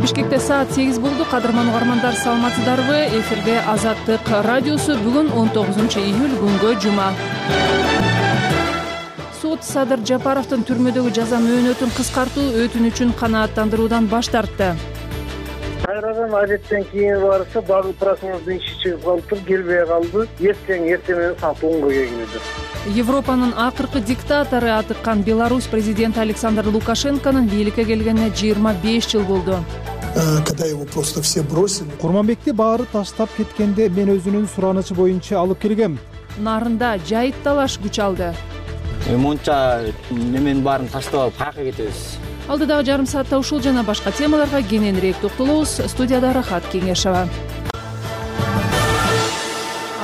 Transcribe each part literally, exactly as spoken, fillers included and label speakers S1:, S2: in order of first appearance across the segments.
S1: Бишкекте саат сегиз болду. Кадырман угармандар, саламатсыздарбы? Эфирде Азаттык радиосу. Бүгүн он тогузунчу июль, күнгө жума. Суд Садыр Жапаровдун түрмөдөгү жаза мөөнөтүн кыскартуу өтүнүчүн канааттандыруудан баш тартты.
S2: Кайрадан адеттен кийин барса, дагы просмотрдун иши чыгып калыптыр, келбей калды. Эртең эртең менен саат онго келгиледи.
S1: Европанын акыркы диктатору атыккан Беларусь президенти Александр Лукашенконун бийликке келгенине жыйырма беш жыл болду.
S3: Когда его просто все бросили.
S4: Курманбекти баары таштап кеткенде мен өзүнүн суранычы боюнча алып келгем.
S1: Нарында жайыт талаш күч алды.
S5: Монча немен баарын таштап алып каяка кетебиз.
S1: Алдыдагы жарым саатта ушул жана башка темаларга кененирээк токтолобуз. Студияда Рахат Кеңешова.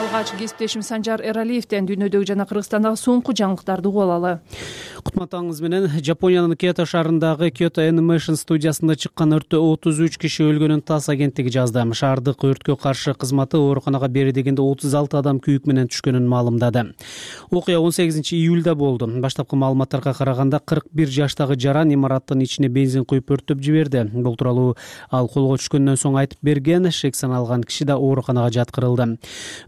S1: Алгач кесиптешим Санжар Эралиевден дүйнөдөгү жана Кыргызстандагы соңку жаңылыктарды угуп алалы.
S6: Кутматаңыз менен. Жапониянын Киото шаарындагы Kyoto Animation студиясында чыккан өрттө отуз үч киши өлгөнүн ТАСС агенттиги жазды. Шаардык өрткө каршы кызматы ооруканага бери дегенде отуз алты адам күйүк менен түшкөнүн маалымдады. Окуя он сегизинчи июлда болду. Баштапкы маалыматтарга караганда кырк бир жаштагы жаран имараттын ичине бензин куюп өрттөп жиберди. Бул тууралуу ал колго түшкөндөн соң айтып берген. Шек саналган киши да ооруканага жаткырылды.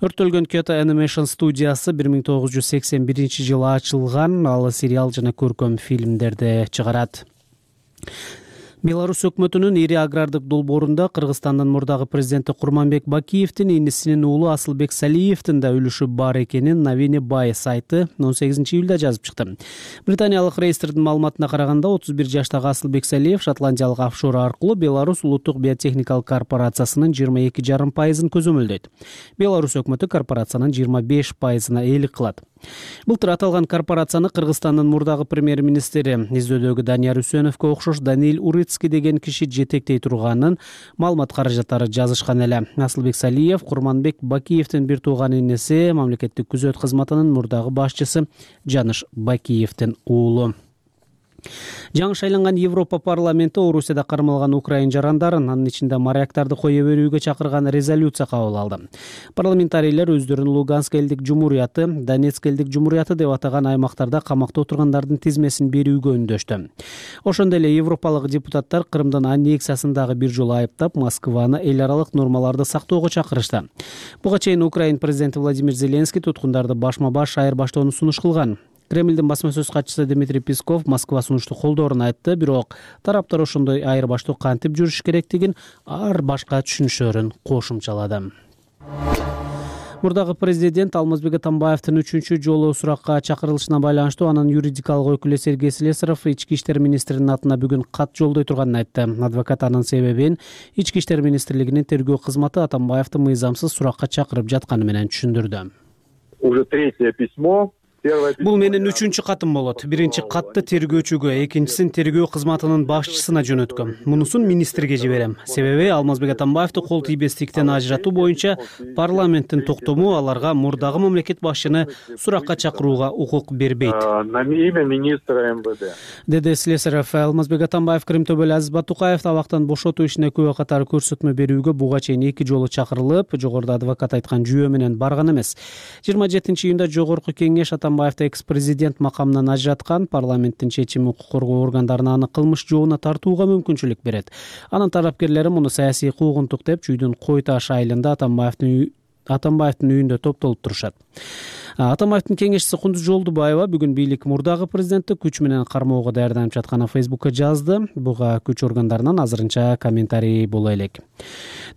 S6: Өрттөлгөн Kyoto Animation студиясы бир миң тогуз жүз сексен биринчи жылы ачылган. Ал сериал жана көркөм фильмдерди чыгарат. Беларусь өкмөтүнүн ири агрардык долбоорунда Кыргызстандын мурдагы президенти Курманбек Бакиевдин инисинин уулу Асылбек Салиевдин да үлүшү бар экенин Новини Бай сайты он сегизинчи июлда жазып чыкты. Британиялык реестрдин маалыматына караганда отуз бир жаштагы Асылбек Салиев шотландиялык офшор аркылуу Беларусь улуттук биотехникалык корпорациясынын жыйырма эки жарым пайызын көзөмөлдөйт. Беларусь өкмөтү корпорациянын жыйырма беш пайызына ээлик кылат. Былтыр аталган корпорацияны Кыргызстандын мурдагы премьер-министри издөөдөгү Данияр Үсөновго окшош Даниил Урицкий деген киши жетектей турганын маалымат каражаттары жазышкан эле. Асылбек Салиев Курманбек Бакиевдин бир тууган иниси, мамлекеттик күзөт кызматынын мурдагы башчысы Жаныш Бакиевдин уулу. Жаңы шайланган Европа парламенти Орусияда кармалган украин жарандарын, анын ичинде моряктарды кое берүүгө чакырган резолюция кабыл алды. Парламентарийлер өздөрүн Луганск элдик жумурияты, Донецк элдик жумурияты деп атаган аймактарда камакта отургандардын тизмесин берүүгө үндөштү. Ошондой эле европалык депутаттар Крымдын аннексиясын дагы бир жолу айыптап, Москваны эл аралык нормаларды сактоого чакырышты. Буга чейин Украин президенти Владимир Зеленский туткундарды башма-баш айырбаштоону сунуш кылган. Кремлдин басма сөз катчысы Дмитрий Песков Москва сунушту колдоорун айтты, бирок тараптар ошондой айырбаштоо кантип жүрүш керектигин ар башка түшүнүшөрүн кошумчалады. Мурдагы президент Алмазбек Атамбаевдин үчүнчү жолу суракка чакырылышына байланыштуу анын юридикалык өкүлү Сергей Слесарев ички иштер министринин атына бүгүн кат жолдой турганын айтты. Адвокат анын себебин ички иштер министрлигинин тергөө кызматы Атамбаевди мыйзамсыз суракка чакырып жатканы менен түшүндүрдү.
S7: Уже третье письмо.
S6: Бул менин үчүнчү катым болот. Биринчи катты тергөөчүгө, экинчисин тергөө кызматынын башчысына жөнөткөм. Мунусун министрге жиберем. Себеби Алмазбек Атамбаевди кол тийбестиктен ажыратуу боюнча парламенттин токтому аларга мурдагы мамлекет башчыны суракка чакырууга укук бербейт.
S7: На имя министра МВД.
S6: Деди Слесарев. Алмазбек Атамбаев Крым төбөлү Азиз Батукаев абактан бошотуу ишине күбө катары көрсөтмө берүүгө буга чейин эки жолу чакырылып, жогоруда адвокат айткан жүйө менен барган эмес. жыйырма жетинчи июнда жогорку кеңеш Атамбаевди экс-президент макамынан ажыраткан. Парламенттин чечими укук коргоо органдарына аны кылмыш жообуна тартууга мүмкүнчүлүк берет. Анын тарапкерлери муну саясий куугунтук деп Чүйдүн Кой Таш айылында Атамбаевдин Атамбаевдин үйүндө топтолуп турушат. Атамбаевдин кеңешчиси Кундуз Жолдубаева бүгүн бийлик мурдагы президентти күч менен кармоого даярданып жатканын Фейсбукка жазды. Буга күч органдарынан азырынча комментарий боло элек.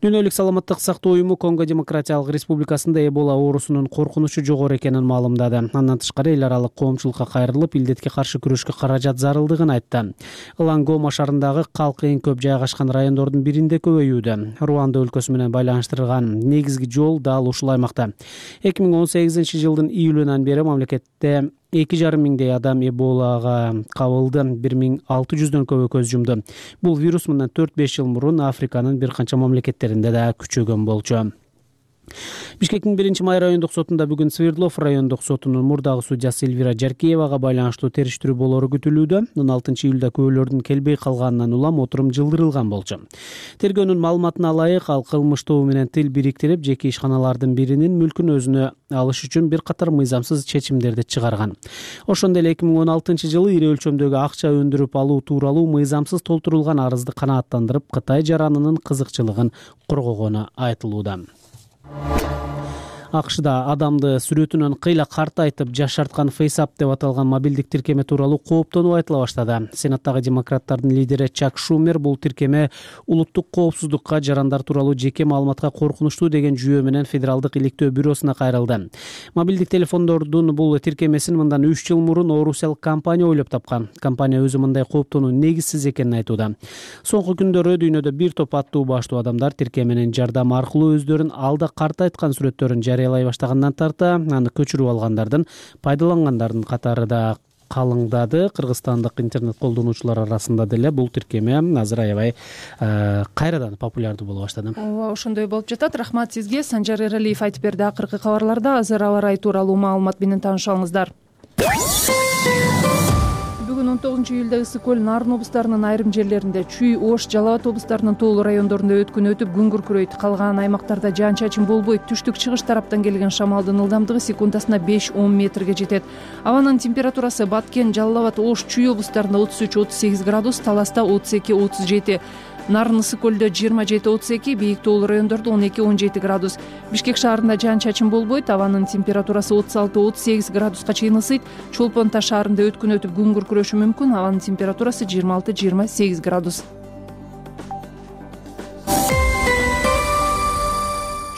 S6: Дүйнөлүк саламаттык сактоо уюму Конго Демократиялык Республикасында Эбола оорусунун коркунучу жогору экенин маалымдады. Андан тышкары эл аралык коомчулукка кайрылып, илдетке каршы күрөшкө каражат зарылдыгын айтты. Лангома шаарындагы калк эң көп жайгашкан райондордун биринде көбөйүүдө. Руанда өлкөсү менен байланыштырылган негизги жол дал ушул аймакта. эки миң он сегизинчи жылдын июлунан бери мамлекетте эки жарым миңдей адам Эболага кабылды, бир миң алты жүздөн көбү көз жумду. Бул вирус мындан төрт беш жыл мурун Африканын бир канча мамлекеттеринде да күчөгөн болчу. Бишкектин биринчи май райондук сотунда бүгүн Свердлов райондук сотунун мурдагы судьясы Эльвира Жаркеевага байланыштуу териштирүү болоору күтүлүүдө. он алтынчы июлда күбөлөрдүн келбей калганынан улам отурум жылдырылган болчу. Тергөөнүн маалыматына ылайык, ал кылмыш тобу менен тил бириктирип, жеке ишканалардын биринин мүлкүн өзүнө алыш үчүн бир катар мыйзамсыз чечимдерди чыгарган. Ошондой эле эки миң он алтынчы жылы ири өлчөмдөгү акча өндүрүп алуу тууралуу мыйзамсыз толтурулган арызды канааттандырып, Кытай жаранынын кызыкчылыгын коргогону айтылууда. АКШда адамды сүрөтүнөн кыйла картайтып жашарткан FaceApp деп аталган мобилдик тиркеме тууралуу кооптонуу айтыла баштады. Сенаттагы демократтардын лидери Чак Шумер бул тиркеме улуттук коопсуздукка, жарандар тууралуу жеке маалыматка коркунучтуу деген жүйө менен Федералдык иликтөө бюросуна кайрылды. Мобилдик телефондордун бул тиркемесин мындан үч жыл мурун Орусел компания ойлоп тапкан. Компания өзү мындай кооптонуу негизсиз экенин айтууда. Соңку күндөрү дүйнөдө бир топ аттуу баштуу адамдар тиркеменин жардамы аркылуу өздөрүн алда картайткан сүрөттөрүн жарыялай баштагандан тарта, аны көчүрүп алгандардын, пайдалангандардын катары да калыңдады. Кыргызстандык интернет колдонуучулар арасында деле бул тиркеме азыр аябай кайрадан популярдуу боло баштады.
S1: Ооба, ошондой болуп жатат. Рахмат сизге. Санжар Эралиев айтып берди. Акыркы кабарларда азыр аба ырайы тууралуу маалымат менен таанышыңыздар. Бүгүн он тогузунчу июлда Ысык көл, Нарын облустарынын айрым жерлеринде, Чүй, Ош, Жалал абад облустарынын тоолуу райондорунда өткүн өтүп, күн күркүрөйт. Калган аймактарда жаан-чачын болбойт. Түштүк-чыгыш тараптан келген шамалдын ылдамдыгы секундасына беш он метрге жетет. Абанын температурасы Баткен, Жалал абад, Ош, Чүй облустарында отуз үч отуз сегиз градус, Таласта отуз эки отуз жети. Нарын, Ысык көлдө жыйырма жети отуз эки, бийик тоолуу райондордо он эки он жети градус. Бишкек шаарында жаан-чачын болбойт. Абанын температурасы отуз алты отуз сегиз градуска чейин ысыйт. Чолпон Таш шаарында өткүн өтүп, күн күркүрөшү мүмкүн. Абанын температурасы жыйырма алты жыйырма сегиз градус.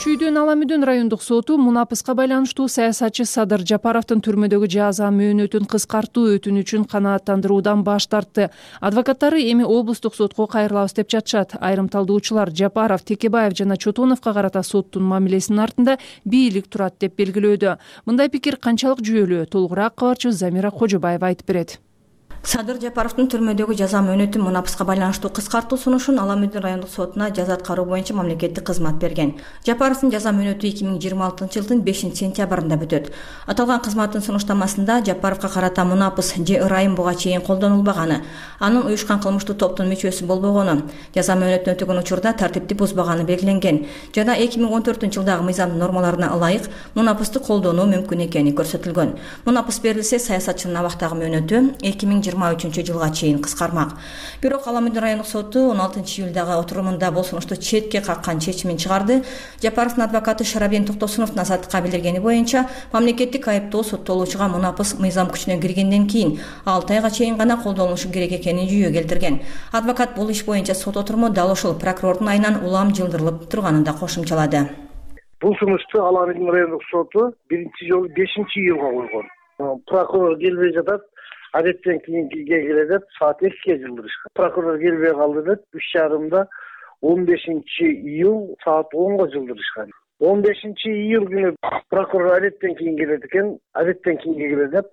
S1: Чүйдүн Ала Мүдүн райондук соту мунапыска байланыштуу саясатчы Садыр Жапаровдун түрмөдөгү жаза мөөнөтүн кыскартуу өтүнүчүн канааттандыруудан баш тартты. Адвокаттары эми облустук сотко кайрылабыз деп жатышат. Айрым талдоочулар Жапаров, Текебаев жана Чотоновго карата соттун мамилесинин артында бийлик турат деп белгилөөдө. Мындай пикир канчалык жүйөлүү? Толугураак кабарчы Замира Кожобаева айтып берет.
S8: Садыр Жапаровдун түрмөдөгү жаза мөөнөтүн мунапыска байланыштуу кыскартуу сунушун Ала Мүдүн райондук сотуна жаза аткаруу боюнча мамлекеттик кызмат берген. Жапаровдун жаза мөөнөтү эки миң жыйырма алтынчы жылдын бешинчи сентябрында бүтөт. Аталган кызматтын сунуштамасында Жапаровго карата мунапыс же ырайым буга чейин колдонулбаганы, анын уюшкан кылмыштуу топтун мүчөсү болбогону, жаза мөөнөтүн өтөгөн учурда тартипти бузбаганы белгиленген жана эки миң он төртүнчү жылдагы мыйзамдын нормаларына ылайык мунапысты колдонуу мүмкүн экени көрсөтүлгөн. Мунапыс берилсе, саясатчынын абактагы мөөнөтү эки миң жыйырма үчүнчү жылга чейин кыскармак. Бирок Ала Мүдүн райондук соту он алтынчы июлдагы отурумунда бул сунушту четке каккан чечимин чыгарды. Жапаровдун адвокаты Шарабдин Токтосуновдун азаттыкка билдиргени боюнча, мамлекеттик айыптоо соттолуучуга мунапыс мыйзам күчүнө киргенден кийин алты айга чейин гана колдонулушу керек экенин жүйө келтирген. Адвокат бул иш боюнча сот отуруму дал ушул прокурордун айынан улам жылдырылып турганын да кошумчалады.
S2: Бул сунушту Ала Мүдүн райондук соту биринчи жолу бешинчи июлга койгон. Прокурор келбей жатат. Адеттен кийинкиге келе деп саат экиге жылдырышкан. Прокурор келбей калды деп үч жарымда он бешинчи июль саат онго жылдырышкан. он бешинчи июль күнү прокурор адеттен кийин келет экен, адеттен кийинге келе деп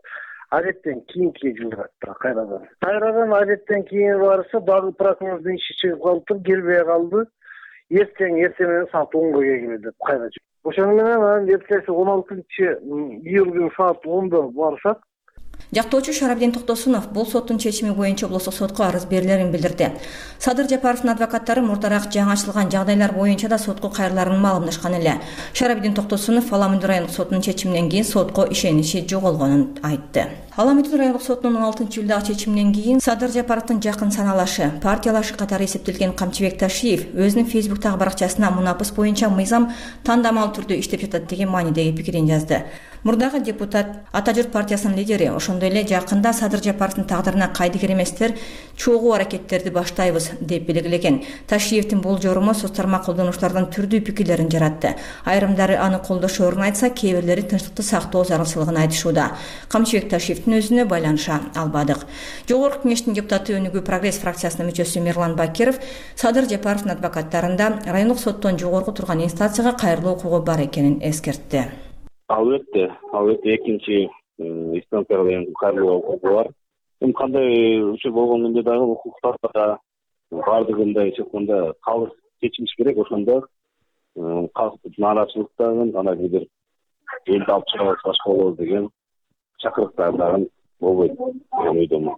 S2: адеттен кийинкиге жылдырат кайрадан. Кайрадан адеттен кийин барса, дагы прокурордун иши чыгып калыптыр, келбей калды. Эртең эртең менен саат онго келет деп кайра. Ошону менен анан эртеси он алтынчы июль күнү саат ондо барсак,
S8: Жактоочу Шарабдин Токтосунов бул соттун чечими боюнча облустук сотко арыз берилерин билдирди. Садыр Жапаровдун адвокаттары мурдараак жаңычылган жагдайлар боюнча да сотко кайрыларын маалымдашкан эле. Шарабдин Токтосунов Ала Мүдүн райондук сотунун чечиминен кийин сотко ишеничи жоголгонун айтты. Ала Мүдүн райондук сотунун он алтынчы июлдагы чечиминен кийин Садыр Жапаровдун жакын саналашы, партиялашы катары эсептелген Камчыбек Ташиев өзүнүн Фейсбуктагы баракчасына мунапыс боюнча мыйзам тандамал түрдө иштеп жатат деген маанидеги пикирин жазды. Мурдагы депутат Ата журт партиясынын лидери, ошондой эле жакында Садыр Жапаровдун тагдырына кайдыгер эместер чогуу аракеттерди баштайбыз деп белгилеген. Ташиевдин бул жоруму соц тармак колдонуучулардын түрдүү пикирлерин жаратты. Айрымдары аны колдошоорун айтса, кээ бирлери тынчтыкты сактоо зарылчылыгын айтышууда. Камчыбек Ташиевдин өзүнө байланыша албадык. Жогорку кеңештин депутаты Өнүгүү Прогресс фракциясынын мүчөсү Мирлан Бакиров Садыр Жапаровдун адвокаттарында райондук соттон жогорку турган инстанцияга кайрылуу укугу бар экенин эскертти.
S9: Албетте, албетте экинчи инстанцияга деген кайрылуу укугу бар. Эми кандай учур болгондо дагы укуктарда баардыгында эч айтканда калыс чечилиш керек. Ошондо калктын нааразычылыктарын анан бир элди алып чыгабыз башка болобуз деген чакырыктар дагы болбойт деген ойдомун.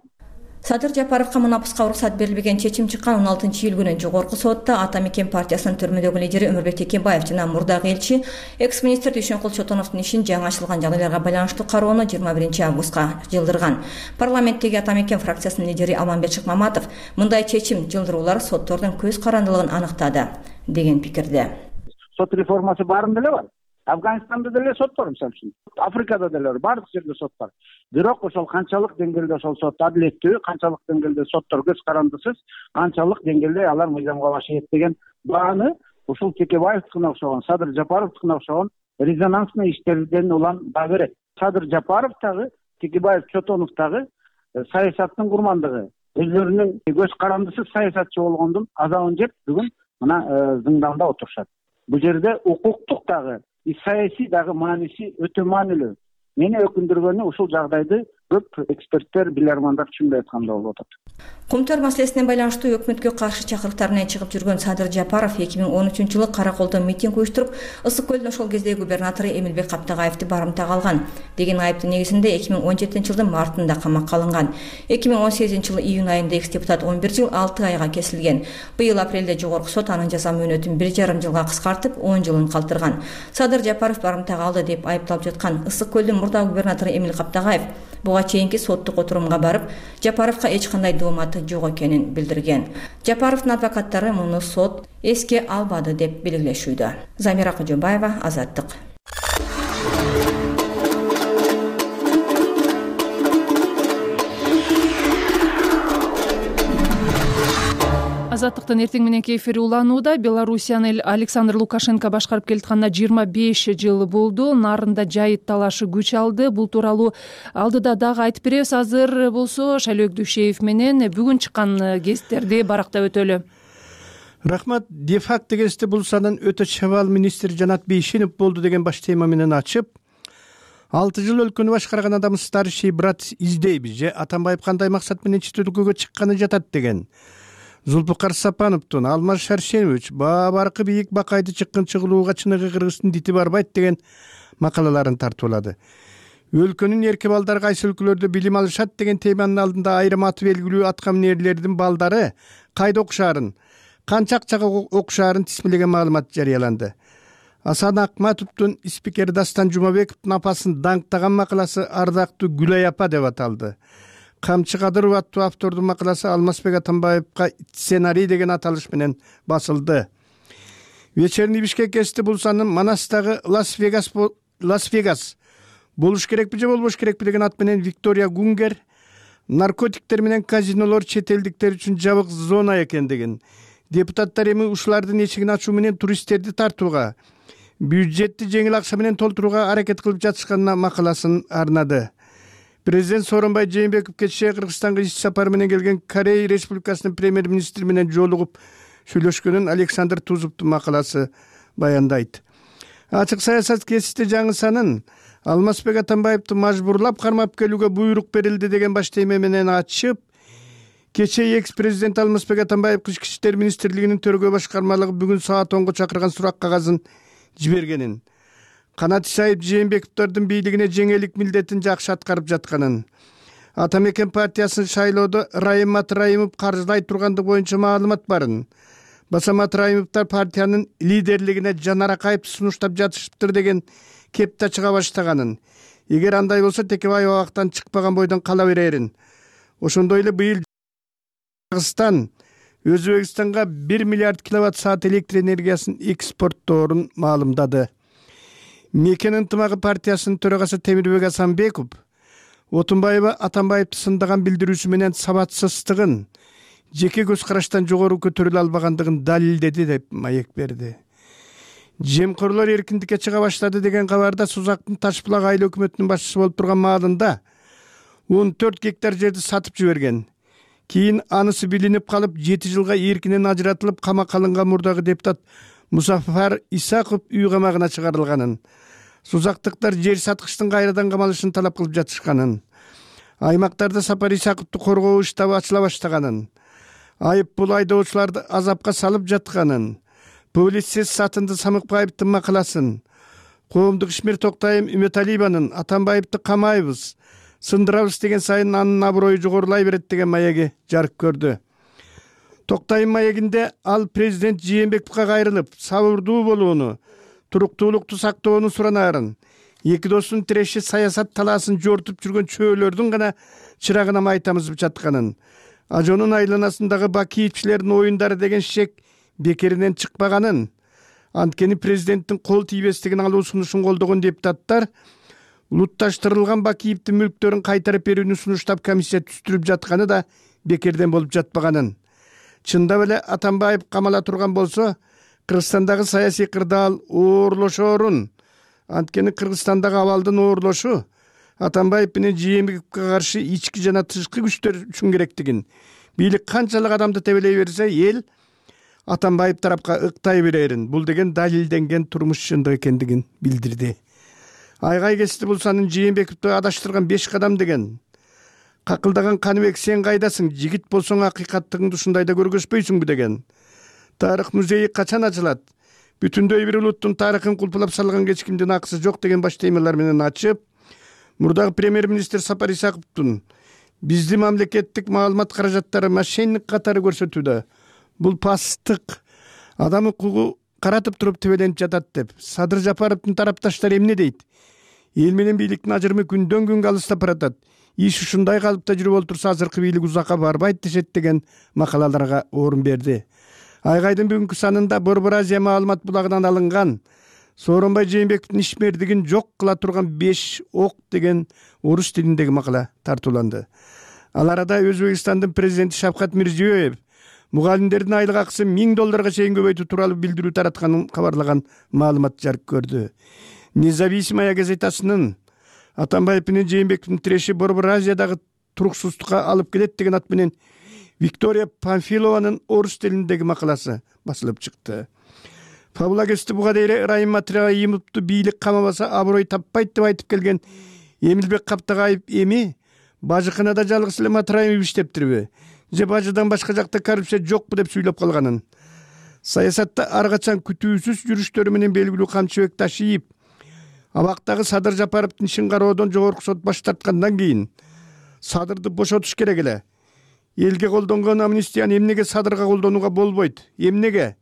S8: Садыр Жапаровго мунапыска уруксат берилбеген чечим чыккан он алтынчы июль күнү жогорку сотто Ата Мекен партиясынын төрмөдөгү лидери Өмүрбек Текебаев жана мурдагы элчи экс-министр Дүйшөнкул Чотоновдун ишин жаңы ачылган жагдайларга байланыштуу кароону жыйырма биринчи августка жылдырган. Парламенттеги Ата Мекен фракциясынын лидери Алмамбет Шыкмаматов мындай чечим жылдыруулар соттордун көз карандылыгын аныктады деген пикирде.
S10: Сот реформасы баарында эле бар. Афганистанда деле сот бар, мисалы үчүн. Африкада деле бар, бардык жерде сот бар. Бирок ошол канчалык деңгээлде ошол сот адилеттүү, канчалык деңгээлде соттор көз карандысыз, канчалык деңгээлде алар мыйзамга башайт деген бааны ушул Текебаевдикине окшогон, Садыр Жапаровдикине окшогон резонансный иштерден улам баа берет. Садыр Жапаров дагы, Текебаев, Чотонов дагы саясаттын курмандыгы, өзлөрүнүн көз карандысыз саясатчы болгондун азабын жеп бүгүн мына зыңдамда отурушат. Бул жерде укуктук дагы, саясий дагы мааниси өтө маанилүү. Мени өкүндүргөнү ушул жагдайды көп эксперттер, билармандар түшүнбөй атканда болуп атат.
S8: Кумтөр маселесине байланыштуу өкмөткө каршы чакырыктар менен чыгып жүргөн Садыр Жапаров эки миң он үчүнчү жылы Караколдо митинг уюштуруп, Ысык көлдүн ошол кездеги губернатору Эмилбек Каптагаевди барымтага алган деген айыптын негизинде эки миң он жетинчи жылдын мартында камакка алынган. эки миң он сегизинчи жылы июнь айында экс депутат он бир жыл алты айга кесилген. Быйыл апрелде жогорку сот анын жаза мөөнөтүн бир жарым жылга кыскартып, он жылын калтырган. Садыр Жапаров барымтага алды деп айыпталып жаткан Ысык көлдүн мурдагы губернатору Эмил Каптагаев буга чейинки соттук отурумга барып, Жапаровго эч кандай дооматы жок экенин билдирген. Жапаровдун адвокаттары муну сот эске албады деп белгилешүүдө. Замира Кожобаева, Азаттык.
S1: Азаттыктын эртең мененки эфири уланууда. Белоруссияны Александр Лукашенко башкарып келатканына жыйырма беш жыл болду. Нарында жайыт талашы күч алды. Бул тууралуу алдыда дагы айтып беребиз. Азыр болсо Шайлөөк Дүйшеев менен бүгүн чыккан гезиттерди барактап өтөлү.
S11: Рахмат. Де-факто гезитте бул санын өтө чабал министр Жанат Бейшенов болду деген баш тема менен ачып, алты жыл өлкөнү башкарган адам старший брат издейбиз же Атамбаев кандай максат менен чет өлкөгө чыкканы жатат деген. Зулпукар Сапановдун, Алмаз Шаршенович баа-баркы бийик бакайды чыккын чыгылууга чыныгы кыргыздын дити барбайт деген макалаларын тартуулады. Өлкөнүн эрки балдары кайсы өлкөлөрдө билим алышат деген теманын алдында айрым аты белгилүү аткаминерлердин балдары кайда окушаарын, канча акчага окушаарын тизмелеген маалымат жарыяланды. Асан Акматовдун спикер Дастан Жумабековдун апасын даңктаган макаласы ардактуу Гүлай апа деп аталды. Камчы Кадыров аттуу автордун макаласы Алмазбек Атамбаевга сценарий деген аталыш менен басылды. Вечерний Бишкек гезити бул санын Манастагы Лас-Вегас Лас-Вегас болуш керекпи же болбош керекпи деген ат менен Виктория Гунгер наркотиктер менен казинолор чет элдиктер үчүн жабык зона экендигин, депутаттар эми ушулардын эшигин ачуу менен туристтерди тартууга, бюджетти жеңил акча менен толтурууга аракет кылып жатышканына макаласын арнады. Президент Сооронбай Жээнбеков кечээ Кыргызстанга иш сапар менен келген Корея Республикасынын премьер-министри менен жолугуп сүйлөшкөнүн Александр Тузовдун макаласы баяндайт. Ачык саясат гезити жаңы санын Алмазбек Атамбаевди мажбурлап кармап келүүгө буйрук берилди деген баш тема менен ачып, кечээ экс-президент Алмазбек Атамбаев Ички иштер министрлигинин төрөгөө башкармалыгы бүгүн саат онго чакырган сурак кагазын жибергенин, Канат Исаев Жээнбековдордун бийлигине жеңелик милдетин жакшы аткарып жатканын, Ата Мекен партиясынын шайлоодо Райым Матраимов каржылай тургандыгы боюнча маалымат барын, баса Матраимовдор партиянын лидерлигине Жанар Акаевди сунуштап жатышыптыр деген кепте чыга баштаганын, эгер андай болсо Текебаев абактан чыкпаган бойдон кала берерин, ошондой эле быйыл Кыргызстан Өзбекстанга бир миллиард киловатт саат электр энергиясын экспортторун маалымдады. Мекен ынтымагы партиясынын төрагасы Темирбек Асанбеков Отунбаева Атамбаевди сындаган билдирүүсү менен сабатсыздыгын, жеке көз караштан жогору көтөрүлө албагандыгын далилдеди деп маек берди. Жемкорлор эркиндикке чыга баштады деген кабарда Сузактын Ташбулак айыл өкмөтүнүн башчысы болуп турган маалында он төрт гектар жерди сатып жиберген. Кийин анысы билинип калып, жети жылга эркинен ажыратылып камакка алынган мурдагы депутат Мусафар Исаков үй камагына чыгарылганын, Сузактыктар жер саткычтын кайрадан камалышын талап кылып жатышканын, аймактарда Сапар Исаковду коргоо иштаби ачыла баштаганын, айып бул айдоочуларды азапка салып жатканын, публицист Сатынды Самыкбаевдин макаласын, коомдук ишмер Токтайым Үмөталиеванын Атамбаевди камайбыз, сындырабыз деген сайын анын аброю жогорулай берет деген маеги жарык көрдү. Токтайым маегинде ал президент Жээнбековго кайрылып, сабырдуу болууну, туруктуулукту сактоону суранарын, эки достун тиреши саясат талаасын жортуп жүргөн чөөлөрдүн гана чырагына май тамызып жатканын, ажонун айланасындагы бакиевчилердин оюндары деген шек бекеринен чыкпаганын, анткени президенттин кол тийбестигин алуу сунушун колдогон депутаттар улутташтырылган Бакиевдин мүлктөрүн кайтарып берүүнү сунуштап комиссия түзүлүп жатканы да бекерден болуп жатпаганын. Чындап эле Атамбаев камала турган болсо, Кыргызстандагы саясий кырдаал оорлошоорун, анткени Кыргызстандагы абалдын оорлошу Атамбаев менен Жээнбековго каршы ички жана тышкы күчтөр үчүн керектигин, бийлик канчалык адамды тебелей берсе, эл Атамбаев тарапка ыктай берерин, бул деген далилденген турмуш чындык экендигин билдирди. Айгай кести булсанын Жээнбековду адаштырган беш кадам деген. Какылдаган Каныбек сен кайдасың, жигит болсоң акыйкаттыгыңды ушундайда көргөзбөйсүңбү деген. Тарых музейи качан ачылат? Бүтүндөй бир улуттун тарыхын кулпулап салган кечкимдин акысы жок деген баш темалар менен ачып, мурдагы премьер-министр Сапар Исаковдун биздин мамлекеттик маалымат каражаттары мошенник катары көрсөтүүдө. Бул пасттык, адам укугу каратып туруп тебеленип жатат деп Садыр Жапаровдун тарапташтары эмне дейт? Эл менен бийликтин ажырымы күндөн күнгө алыстап баратат. Иш ушундай калыпта жүрүп олтурса азыркы бийлик узакка барбайт дешет деген макалаларга орун берди. Айгайдын бүгүнкү санында Борбор Азия маалымат булагынан алынган Сооронбай Жээнбековдун ишмердигин жок кыла турган беш ок деген орус тилиндеги макала тартууланды. Ал арада Өзбекстандын президенти Шавкат Мирзиёев мугалимдердин айлык акысын миң долларга чейин көбөйтүү тууралуу билдирүү таратканын кабарлаган маалымат жарык көрдү. Независимая газетасынын Атамбаев менен Жээнбековдун тиреши Борбор Азиядагы туруксуздукка алып келет деген ат менен Виктория Памфилованын орус тилиндеги макаласы басылып чыкты. Фабула кести буга дейре Райым Матраимовду бийлик камабаса аброй таппайт деп айтып келген Эмилбек Каптагаев эми бажыканада жалгыз эле Матраимов иштептирби? Же бажыдан башка жакта коррупция жокпу деп сүйлөп калганын. Саясатта ар качан күтүүсүз жүрүштөрү менен белгилүү Камчыбек Ташиев абактагы Садыр Жапаровдун ишин кароодон жогорку сот баш тарткандан кийин Садырды бошотуш керек эле. Элге колдонгон амнистияны эмнеге Садырга колдонууга болбойт? Эмнеге?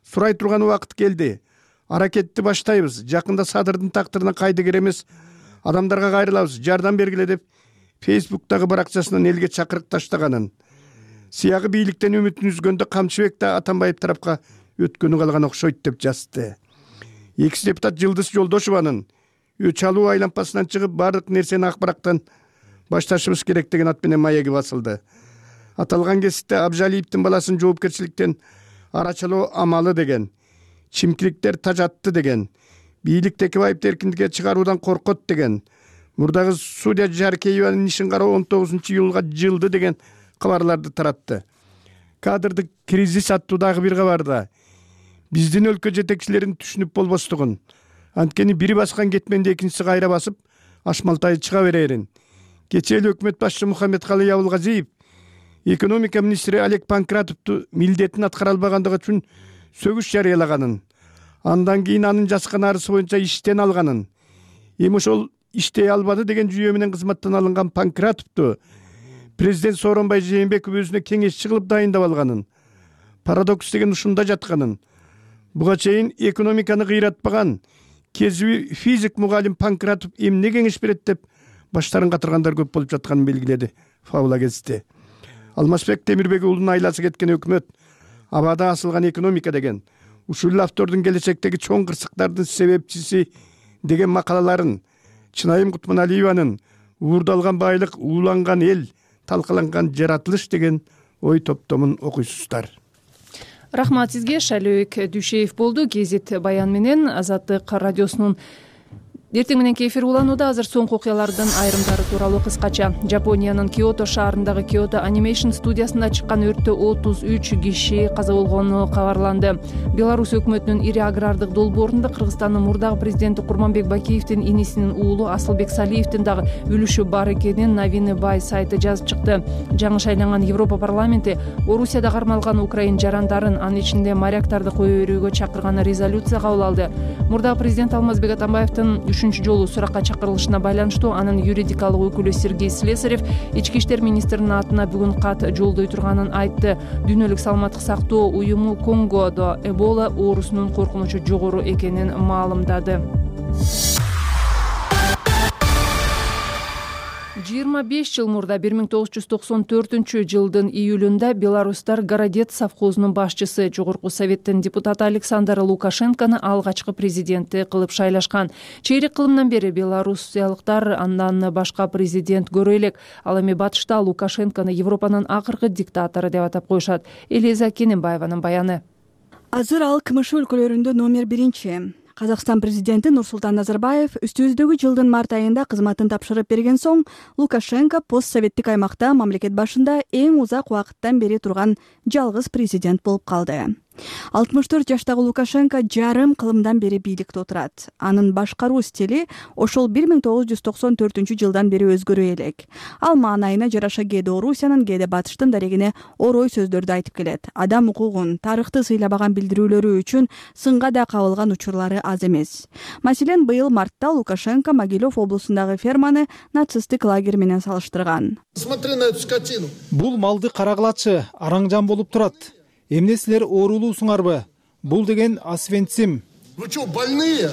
S11: Сурай турган убакыт келди. Аракетти баштайбыз. Жакында Садырдын тактырына кайдыгер эмес адамдарга кайрылабыз. Жардам бергиле деп Фейсбуктагы баракчасынан элге чакырык таштаганын. Сыягы бийликтен үмүтүн үзгөндө Камчыбек да Атамбаев тарапка өткөнү калган окшойт деп жазды. Экс депутат Жылдыз Жолдошованын өч алуу айлампасынан чыгып бардык нерсени акбараттан башташыбыз керек деген ат менен маеги басылды. Аталган кесипте Абжалиевдин баласын жоопкерчиликтен арачалоо амалы деген, чимкиликтер тажатты деген, бийлик Текебаевди эркиндикке чыгаруудан коркот деген, мурдагы судья Жаркееванын ишин кароо он тогузунчу июлга жылды деген кабарларды таратты. Кадрдык кризис аттуу дагы бир кабарда биздин өлкө жетекчилерин түшүнүп болбостугун, анткени бири баскан кетменди экинчиси кайра басып, ашмалтай чыга берерин. Кечээ эле өкмөт башчы Мухаммедкалый Абылгазиев экономика министри Олег Панкратовду милдетин аткара албагандыгы үчүн сөгүш жарыялаганын, андан кийин анын жазган арызы боюнча иштен алганын, эми ошол иштей албады деген жүйө менен кызматтан алынган Панкратовду президент Сооронбай Жээнбеков өзүнө кеңешчи кылып дайындап алганын, парадокс деген ушунда жатканын, буга чейин экономиканы кыйратпаган кесиби физик мугалим Панкратов эмне кеңеш берет деп баштарын катыргандар көп болуп жатканын белгиледи Фабула кезди. Алмазбек Темирбек уулунун айласы кеткен өкмөт абада асылган экономика деген, ушул автордун келечектеги чоң кырсыктардын себепчиси деген макалаларын, Чынайым Кутманалиеванын уурдалган байлык, ууланган эл, талкаланган жаратылыш деген ой топтомун окуйсуздар.
S1: Рахмат сизге. Шайлообек Дүйшеев болду. Гезит Баян менен Азаттык радиосунун Эртең мененки эфир уланууда. Азыр соңку окуялардын айрымдары тууралуу кыскача. Жапониянын Киото шаарындагы Kyoto Animation студиясында чыккан өрттө отуз үч киши каза болгону кабарланды. Беларусь өкмөтүнүн ири агрардык долбоорунда Кыргызстандын мурдагы президенти Курманбек Бакиевдин инисинин уулу Асылбек Салиевдин дагы үлүшү бар экенин Новины Бай сайты жазып чыкты. Жаңы шайланган Европа парламенти Орусияда кармалган украин жарандарын, анын ичинде моряктарды кое берүүгө чакырган резолюция кабыл алды. Мурдагы президент Алмазбек Атамбаевдин үчүнчү жолу суракка чакырылышына байланыштуу анын юридикалык өкүлү Сергей Слесарев ички иштер министринин атына бүгүн кат жолдой турганын айтты. Дүйнөлүк саламаттык сактоо уюму Конгодо Эбола оорусунун коркунучу жогору экенин маалымдады. жыйырма беш жыл мурда бир миң тогуз жүз токсон төртүнчү жылдын июлунда беларустар Городец совхозунун башчысы, жогорку советтин депутаты Александр Лукашенкону алгачкы президенти кылып шайлашкан. Чейрек кылымдан бери белорусиялыктар андан башка президент көрө элек. Ал эми батышта Лукашенкону Европанын акыркы диктатору деп атап коюшат. Элиза Кененбаеванын баяны.
S12: Азыр ал КМШ өлкөлөрүндө номер биринчи. Казакстан президенти Нурсултан Назарбаев үстүбүздөгү жылдын март айында кызматын тапшырып берген соң Лукашенко постсоветтик аймакта мамлекет башында эң узак убакыттан бери турган жалгыз президент болуп калды. алтымыш төрт жаштагы Лукашенко жарым кылымдан бери бийликте отурат. Анын башкаруу стили ошол бир миң тогуз жүз токсон төртүнчү жылдан бери өзгөрө элек. Ал маанайына жараша кээде Орусиянын, кээде Батыштын дарегине орой сөздөрдү айтып келет. Адам укугун, тарыхты сыйлабаган билдирүүлөрү үчүн сынга да кабылган учурлары аз эмес. Маселен, быйыл мартта Лукашенко Могилев облусундагы ферманы нацисттик лагерь менен салыштырган.
S3: Смотри на эту скотину.
S4: Бул малды карагылачы, араң болуп турат. Эмне силер оорулуусуңарбы? Бул деген Освенцим.
S3: Вы что, больные?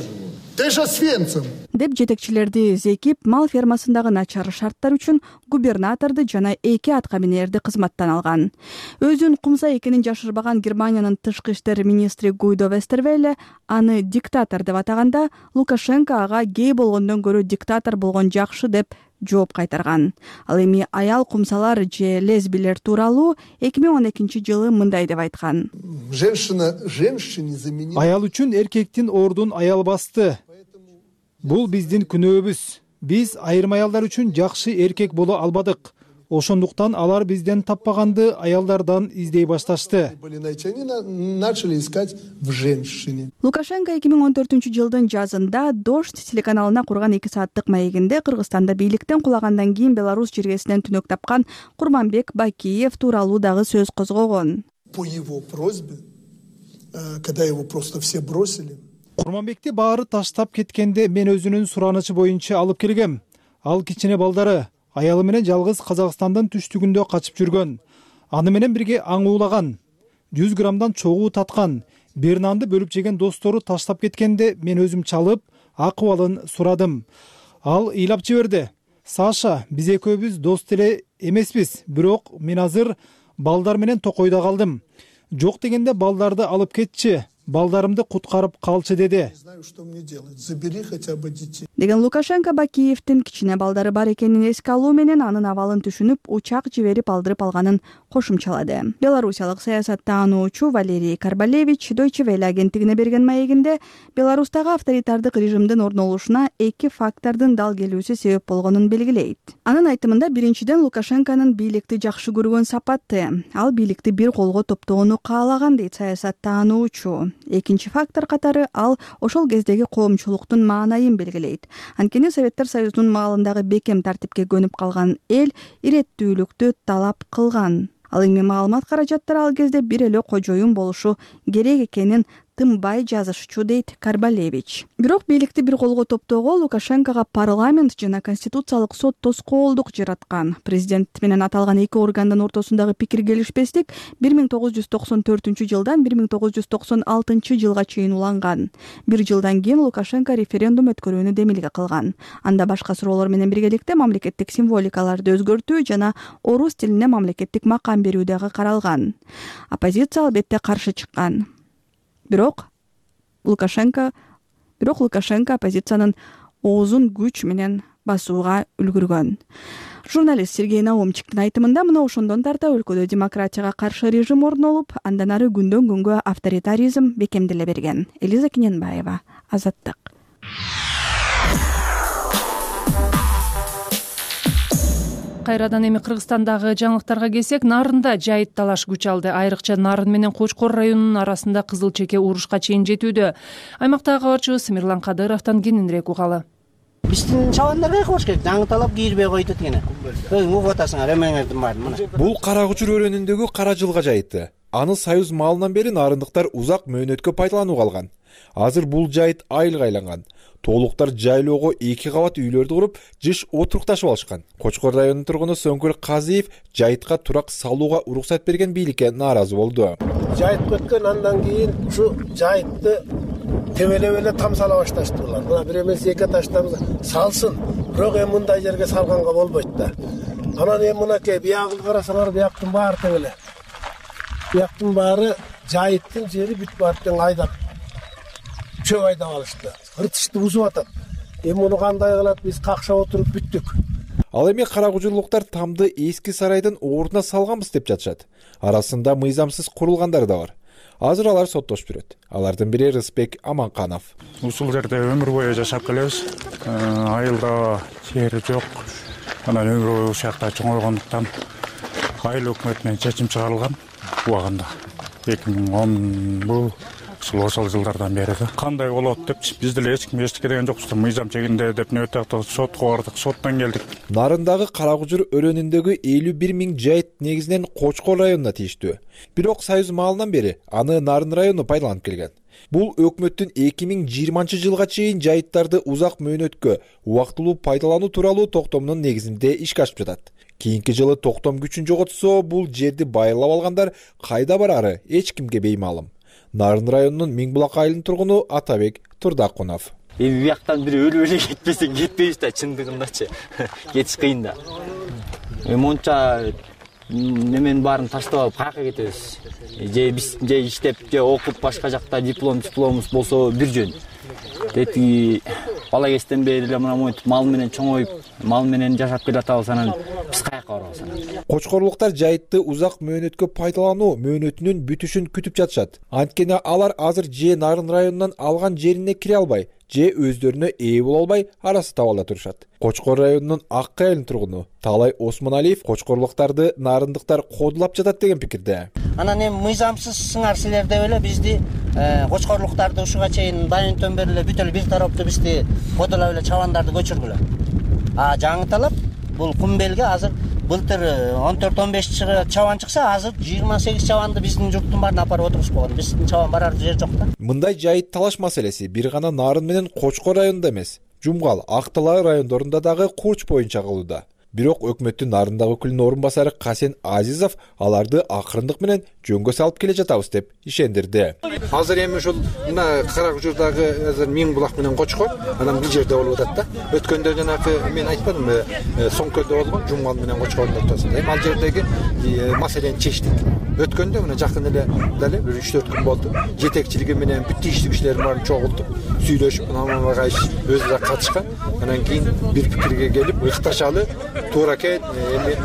S3: Ты же Освенцим.
S12: Деп жетекчилерди зекип, мал фермасындагы начар шарттар үчүн губернаторду жана эки аткаминерди кызматтан алган. Өзүн кумса экенин жашырбаган Германиянын тышкы иштер министри Гуйдо Вестервелле аны диктатор деп атаганда, Лукашенко ага гей болгондон көрө диктатор болгон жакшы деп жооп кайтарган. Ал эми аял кумсалар же лесбилер тууралуу эки миң он экинчи жылы мындай деп айткан.
S3: Женщина женщине заменила.
S4: Аял үчүн эркектин ордун аял басты. Бул биздин күнөөбүз. Биз айрым аялдар үчүн жакшы эркек боло албадык. Ошондуктан алар бизден таппаганды аялдардан издей башташты.
S3: Начали искать в женщине.
S12: Лукашенко эки миң он төртүнчү жылдын жазында Дождь телеканалына курган эки сааттык маегинде Кыргызстанда бийликтен кулагандан кийин Беларусь жергесинен түнөк тапкан Курманбек Бакиев тууралуу дагы сөз козгогон.
S3: По его просьбе, когда его просто все бросили.
S4: Курманбекти баары таштап кеткенде мен өзүнүн суранычы боюнча алып келгем. Ал кичине балдары аялы менен жалгыз Казакстандын түштүгүндө качып жүргөн. Аны менен бирге аң уулаган. жүз граммдан чогуу таткан. Бир нанды бөлүп жеген достору таштап кеткенде мен өзүм чалып, акыбалын сурадым. Ал ыйлап жиберди. Саша, биз экөөбүз дос деле эмеспиз, бирок мен азыр балдар менен токойдо калдым. Жок дегенде балдарды алып кетчи. Балдарымды куткарып калчы деди.
S3: Знаю, что мне делать. Забери хотя бы детей.
S12: Деген Лукашенко Бакиевдин кичине балдары бар экенин эске алуу менен анын абалын түшүнүп, учак жиберип алдырып алганын кошумчалады. Белорусиялык саясаттануучу Валерий Карбалевич Deutsche Welle агенттигине берген маегинде Беларустагы авторитардык режимдин орнолушуна эки фактордун дал келүүсү себеп болгонун белгилейт. Анын айтымында, биринчиден Лукашенконун бийликти жакшы көргөн сапаты. Ал бийликти бир колго топтоону каалаган дейт саясаттануучу. Экинчи фактор катары ал ошол кездеги коомчулуктун маанайын белгилейт. Анткени Советтер Союзунун маалындагы бекем тартипке көнүп калган эл иреттүүлүктү талап кылган. Ал эми маалымат каражаттары ал кезде бир эле кожоюн болушу керек экенин тынбай жазышчу дейт Карбалевич. Бирок бийликти бир колго топтоого Лукашенкого парламент жана конституциялык сот тоскоолдук жараткан. Президент менен аталган эки органдын ортосундагы пикир келишпестик бир миң тогуз жүз токсон төртүнчү жылдан бир миң тогуз жүз токсон алтынчы жылга чейин уланган. Бир жылдан кийин Лукашенко референдум өткөрүүнү демилге кылган. Анда башка суроолор менен биргеликте мамлекеттик символикаларды өзгөртүү жана орус тилине мамлекеттик макам берүү дагы каралган. Оппозиция албетте каршы чыккан. Бирок Лукашенко бирок Лукашенко оппозициянын оозун күч менен басууга үлгүргөн. Журналист Сергей Наумчиктин айтымында, мына ошондон тарта өлкөдө демократияга каршы режим орнолуп, андан ары күндөн күнгө авторитаризм бекемделе берген. Элиза Кененбаева, Азаттык.
S1: кайрадан эми Кыргызстандагы жаңылыктарга келсек, Нарында жайыт талаш күч алды. Айрыкча Нарын менен Кочкор районунун арасында кызыл чеке урушка чейин жетүүдө. Аймактагы кабарчыбыз Мирлан Кадыровдон кененирээк угалы.
S13: Биздин чабандар кайка болуш керек. Жаңыталап кийирбей койду дегене. Өзүң угуп атасыңар, эмеңердин баарын мына.
S14: Бул Кара Кучур өрөөнүндөгү кара жылга жайыты. Аны Союз маалынан бери нарындыктар узак мөөнөткө пайдаланууга алган. Азыр бул жайыт айылга айланган. Тоолуктар жайлоого эки кабат үйлөрдү куруп, жыш отурукташып алышкан. Кочкор районунун тургуну Сөңкүл Казиев жайытка турак салууга уруксат берген бийликке нааразы болду.
S15: Жайыт өткөн андан кийин ушу жайытты тебелеп эле там сала башташтылар. Мына бир эмес эки таштабыз салсын, бирок эми мындай жерге салганга болбойт да. Анан эми мынакей биягы карасаңар, бияктын баары тең эле. Бияктын баары жайыттын жери бүт барып тең айдап чөп айдап алышты. Ыртышты бузуп атат. Эми муну кандай кылат, биз какшап отуруп бүттүк.
S14: Ал эми кара кучурлуктар тамды эски сарайдын ордуна салганбыз деп жатышат. Арасында мыйзамсыз курулгандар да бар. Азыр алар соттошуп жүрөт. Алардын бири Рысбек Аманканов.
S16: Ушул жерде өмүр бою жашап келебиз. Айылда жери жок. Анан өмүр бою ушул жакта чоңойгондуктан айыл өкмөтүнөн чечим чыгарылган убагында. эки миң он бул ошол жылдардан бери да. Кандай болот деп биз деле эч ким эчтеке деген жокпуз. Мыйзам чегинде деп нөтөктө сотко бардык, соттон келдик.
S14: Нарындагы Кара Кучур өрөөнүндөгү элүү бир миң жайыт негизинен Кочкор районуна тийиштүү. Бирок Союз маалынан бери аны Нарын району пайдаланып келген. Бул өкмөттүн эки миң жыйырманчы жылга чейин жайыттарды узак мөөнөткө убактылуу пайдалануу тууралуу токтомунун негизинде ишке ашып жатат. Кийинки жылы токтом күчүн жоготсо, бул жерди байырлап алгандар кайда барары эч кимге беймаалым. Нарын районунун Миңбулак айылынын тургуну Атабек Турдакунов.
S5: Эми бияктан бири өлүп эле кетпесең кетпейбиз да, чындыгындачы. Кетиш кыйын да. Эми монча неменин баарын таштап алып каяка кетебиз? Же биз же иштеп, же окуп башка жакта диплом дипломубуз болсо бир жөн. Дети бала кезден бери эле мына монтип мал менен чоңоюп, мал менен жашап келатабыз, анан биз каяка барабыз анан?
S14: Кочкорлуктар жайытты узак мөөнөткө пайдалануу мөөнөтүнүн бүтүшүн күтүп жатышат. Анткени алар азыр же Нарын районунан алган жерине кире албай, же өздөрүнө ээ боло албай арасы табалда турушат. Кочкор районунун Ак айылынын тургуну Талай Осмоналиев кочкорлуктарды нарындыктар кодулап жатат деген пикирде.
S13: Анан эми мыйзамсыз сыңар силер деп эле бизди кочкорлуктарды ушуга чейин дайынтөн бери эле бүт эле бир тараптуу бизди кодулап эле чабандарды көчүргүлө. А жаңыталап бул Кумбелге азыр былтыр он төрт он беш чабан чыкса, азыр жыйырма сегиз чабанды биздин журттун баарына апарып отурушуп койгон. Биздин чабан барар жер жок да.
S14: Мындай жайыт талаш маселеси бир гана Нарын менен Кочкор районунда эмес, Жумгал, Ак Талай райондорунда дагы курч боюнча кылууда. Бирок өкмөттүн Нарындагы өкүлүнүн орун басары Касен Азизов аларды акырындык менен жөнгө салып келе жатабыз деп ишендирди.
S17: Азыр эми ушул мына Кара Кучурдагы азыр Миңбулак менен Кочкор анан бир жерде болуп атат да. Өткөндө жанагы мен айтпадымбы, Соңкөлдө болгон Жумгал менен Кочкордун ортосунда. Эми ал жердеги маселени чечтик. Өткөндө мына жакын эле дале бир үч төрт күн болду. Жетекчилиги менен бүт тийиштүү кишилердин баарын чогултуп, сүйлөшүп, анан кайш өзү катышкан. Анан кийин бир пикирге келип, ыкташалы туура экен, эми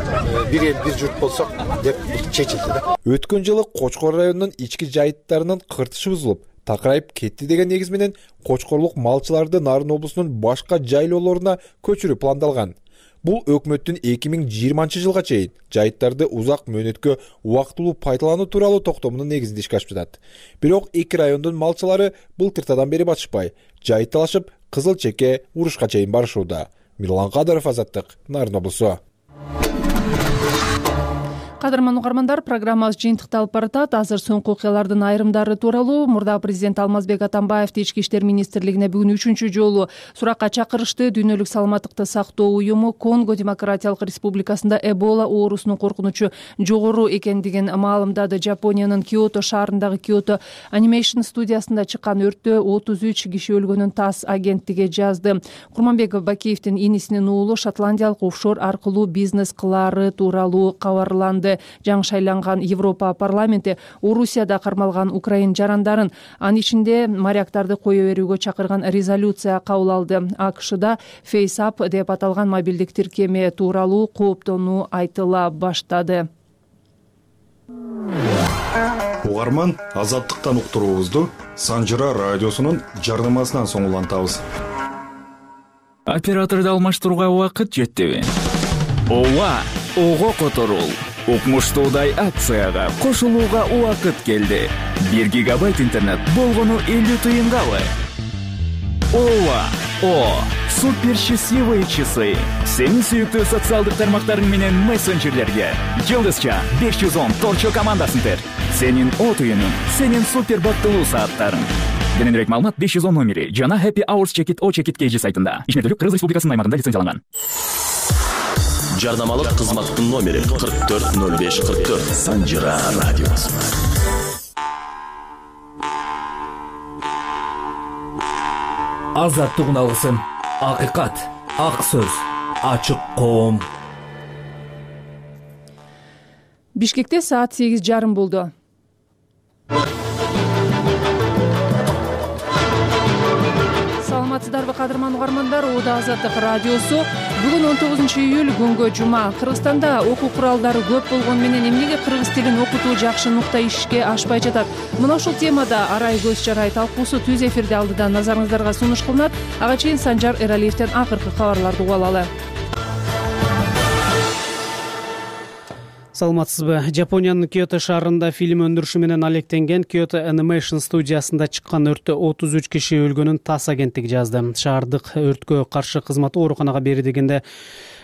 S17: бир эл бир журт болсок деп чечилди да.
S14: Өткөн жылы Кочкор районунун ички жайыттарынын кыртышы бузулуп, такырайып кетти деген негиз менен кочкорлук малчыларды Нарын облусунун башка жайлоолоруна көчүрүү пландалган. Бул өкмөттүн эки миң жыйырманчы жылга чейин жайыттарды узак мөөнөткө убактылуу пайдалануу тууралуу токтомунун негизинде ишке ашып жатат. Бирок эки райондун малчылары былтыртадан бери батышпай, жайыт талашып, кызыл чеке урушка чейин барышууда. Мирлан Кадыров, Азаттык, Нарын облусу.
S1: Кадырман угармандар, программабыз жыйынтыкталып баратат. Азыр соңку окуялардын айрымдары тууралуу мурда президент Алмазбек Атамбаевди Ички иштер министрлигине бүгүн үчүнчү жолу суракка чакырышты. Дүйнөлүк саламаттыкты сактоо уюму Конго Демократиялык Республикасында Эбола оорусунун коркунучу жогору экендигин маалымдады. Жапониянын Киото шаарындагы Киото Animation студиясында чыккан өрттө отуз үч киши өлгөнүн ТАСС агенттиги жазды. Курманбек Бакиевдин инисинин уулу шотландиялык офшор аркылуу бизнес кылаары тууралуу кабарланды. Жаңы шайланган Европа парламенти Орусияда кармалган украин жарандарын, анын ичинде моряктарды кое берүүгө чакырган резолюция кабыл алды. АКШда FaceApp деп аталган мобилдик тиркеме тууралуу кооптонуу айтыла баштады.
S18: Угарман, Азаттыктан уктуруубузду Санжыра радиосунун жардамасынан соң улантабыз.
S19: Операторду алмаштырууга убакыт жетти. ооба, ого которул. Укмуштуудай акцияга кошулууга убакыт келди. бир гигабайт интернет болгону элүү тыйынгабы? ооба, о, супер счастливые часы. Сенин сүйүктүү социалдык тармактарың менен мессенджерлерге жылдызча беш жүз он торчо командасын тер. Сенин о тыйының, сенин супер бактылуу сааттарың. Кененирээк маалымат беш жүз он номери жана Happy Hours Check It O Check It кей жи сайтында. Ишмердүүлүк Кыргыз Республикасынын аймагында лицензияланган.
S20: Жарнамалык кызматтын номери кырк төрт ноль беш кырк төрт. Санжира радиосу.
S21: Азаттык алгысын, акыйкат, ак сөз, ачык коом.
S1: Бишкекте саат сегиз жарым болду. Саламатсыздарбы кадырман угармандар, Ооба Азаттык радиосу. Бүгүн он тогузунчу июль күнгө жума. Кыргызстанда окуу куралдары көп болгону менен эмнеге кыргыз тилин окутуу жакшы нукта ишке ашпай жатат? Мына ушул темада арай көз чарай талкуусу түз эфирде алдыдан назарыңыздарга сунуш кылынат. Ага чейин Санжар Эралиевден акыркы кабарларды угуп алалы.
S6: Саламатсызбы? Жапониянын Киото шаарында фильм өндүрүшү менен алектенген Kyoto Animation студиясында чыккан өрттө отуз үч киши өлгөнүн ТАСС агенттиги жазды. Шаардык өрткө каршы кызматы ооруканага бери дегенде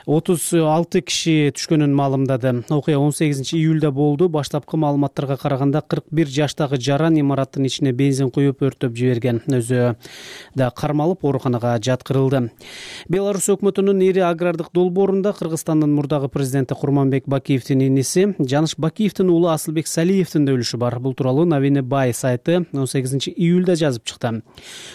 S6: отуз алты киши түшкөнүн маалымдады. Окуя он сегизинчи июлда болду. Баштапкы маалыматтарга караганда кырк бир жаштагы жаран имараттын ичине бензин куюп өрттөп жиберген. Өзү да кармалып ооруканага жаткырылды. Беларусь өкмөтүнүн ири агрардык долбоорунда Кыргызстандын мурдагы президенти Курманбек Бакиевдин иниси Жаныш Бакиевдин уулу Асылбек Салиевдин да өлүшү бар. Бул тууралуу Новини Бай сайты он сегизинчи июлда жазып чыкты.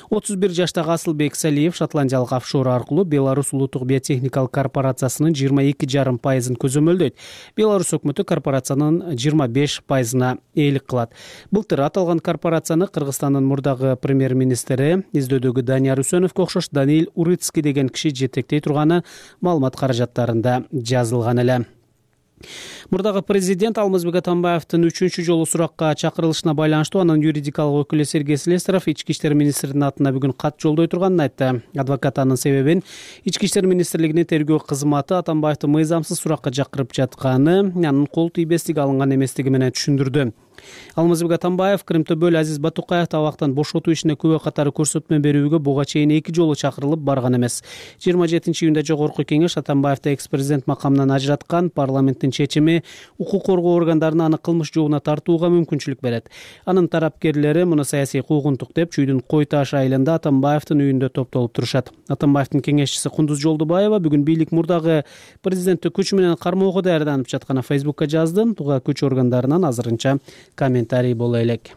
S6: отуз бир жаштагы Асылбек Салиев шотландиялык офшор аркылуу Беларусь улуттук биотехникалык корпорациясынын жыйырма эки жарым пайызын көзөмөлдөйт. Беларусь өкмөтү корпорациянын жыйырма беш пайызына ээлик кылат. Былтыр аталган корпорацияны Кыргызстандын мурдагы премьер-министри издөдөгү Данияр Үсөновго окшош Даниил Урыцкий деген киши жетектей турганы маалымат каражаттарында жазылган эле. Мурдагы президент Алмазбек Атамбаевдин үчүнчү жолу суракка чакырылышына байланыштуу анын юридикалык өкүлү Сергей Слесаров ички иштер министринин атына бүгүн кат жолдой турганын айтты. Адвокат анын себебин ички иштер министрлигинин тергөө кызматы Атамбаевди мыйзамсыз суракка чакырып жатканы, анын кол тийбестиги алынган эместиги менен түшүндүрдү. Алмазбек Атамбаев Кырымтөбөл Азиз Батукаев табактан бошотуу ишине күбө катары көрсөтмө берүүгө буга чейин эки жолу чакырылып барган эмес. жыйырма жетинчи июнда жогорку кеңеш Атамбаевди экс-президент макамынан ажыраткан. Парламенттин чечими укук коргоо органдарына аны кылмыш жообуна тартууга мүмкүнчүлүк берет. Анын тарапкерлери муну саясий куугунтук деп Чүйдүн Кой Таш айылында Атамбаевдин үйүндө топтолуп турушат. Атамбаевдин кеңешчиси Кундуз Жолдубаева бүгүн бийлик мурдагы президентти күч менен кармоого даярданып жатканын Фейсбукка жазды. Буга күч органдарынан азырынча комментарий боло элек.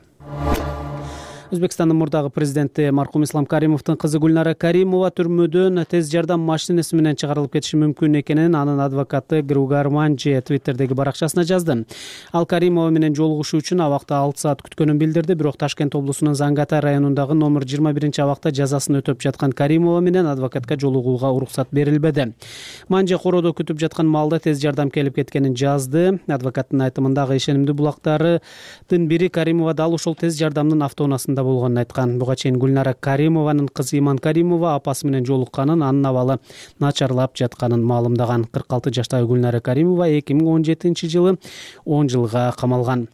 S6: Өзбекстандын мурдагы президенти маркум Ислам Каримовдун кызы Гүлнара Каримова түрмөдөн тез жардам машинеси менен чыгарылып кетиши мүмкүн экенин анын адвокаты Гругар Манчи Твиттердеги баракчасына жазды. Ал Каримова менен жолугушуу үчүн абакта алты саат күткөнүн билдирди, бирок Ташкент облусунун Зангата районундагы номер жыйырма биринчи абакта жазасын өтөп жаткан Каримова менен адвокатка жолугууга уруксат берилбеди. Манчи короодо күтүп жаткан маалда тез жардам келип кеткенин жазды. Адвокаттын айтымындагы ишенимдүү булактардын бири Каримова дал ушул тез жардамдын автоунаасында болгонун айткан. Буга чейин Гүлнара Каримованын кызы Иман Каримова апасы менен жолукканын, анын абалы начарлап жатканын маалымдаган. кырк алты жаштагы Гүлнара Каримова эки миң он жетинчи жылы он жылга камалган.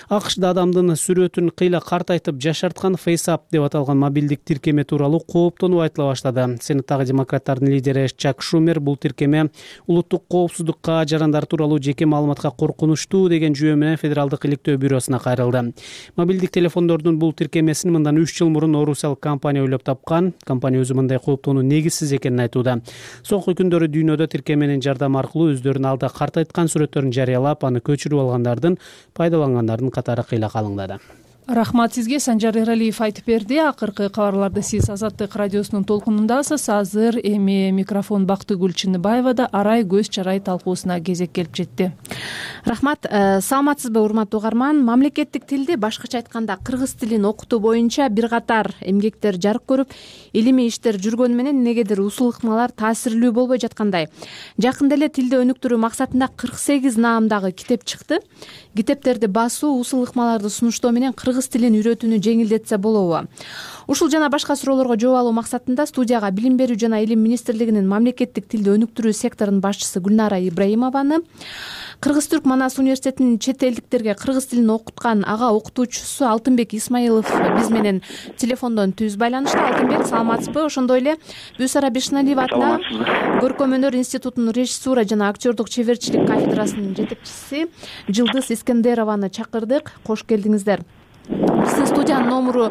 S6: АКШда адамдын сүрөтүн кыйла картайтып жашарткан FaceApp деп аталган мобилдик тиркеме тууралуу кооптонуу айтыла баштады. Сенаттагы демократтардын лидери Чак Шумер бул тиркеме улуттук коопсуздукка, жарандар тууралуу жеке маалыматка коркунучтуу деген жүйө менен Федералдык иликтөө бюросуна кайрылды. Мобилдик телефондордун бул тиркеме мындан үч жыл мурун орусиялык компания ойлоп тапкан. Компания өзү мындай кооптонуу негизсиз экенин айтууда. Соңку күндөрү дүйнөдө тиркеменин жардамы аркылуу өздөрүнүн алда картайткан сүрөттөрүн жарыялап, аны көчүрүп алгандардын, пайдалангандардын катары кыйла калыңдады.
S1: Рахмат сизге. Санжар Эралиев айтып берди. Акыркы кабарларды сиз Азаттык радиосунун толкунундасыз. Азыр эми микрофон Бактыгүл Чыныбаевада арай көз чарай талкуусуна кезек келип жетти.
S22: Рахмат. Саламатсызбы урматтуу угарман? Мамлекеттик тилди, башкача айтканда кыргыз тилин окутуу боюнча бир катар эмгектер жарык көрүп, илимий иштер жүргөнү менен негедир усул ыкмалар таасирлүү болбой жаткандай. Жакында эле тилди өнүктүрүү максатында кырк сегиз наамдагы китеп чыкты. Китептерди басуу, усул ыкмаларды сунуштоо менен кыргыз кыргыз тилин үйрөтүүнү жеңилдетсе болобу? Ушул жана башка суроолорго жооп алуу максатында студияга Билим берүү жана Илим министрлигинин мамлекеттик тилди өнүктүрүү секторунун башчысы Гүлнара Ибраимованы, Кыргыз-Түрк Манас университетинин чет элдиктерге кыргыз тилин окуткан ага окутуучусу Алтынбек Исмаилов биз менен телефондон түз байланышта. Алтынбек, саламатсызбы? Ошондой эле Бүсара Бишналиева атындағы Көркөм өнөр институтунун режиссура жана актерлук чеберчилик кафедрасынын жетекчиси Жылдыз Искендерованы чакырдык. Кош келдиңиздер. Биздин студиянын номуру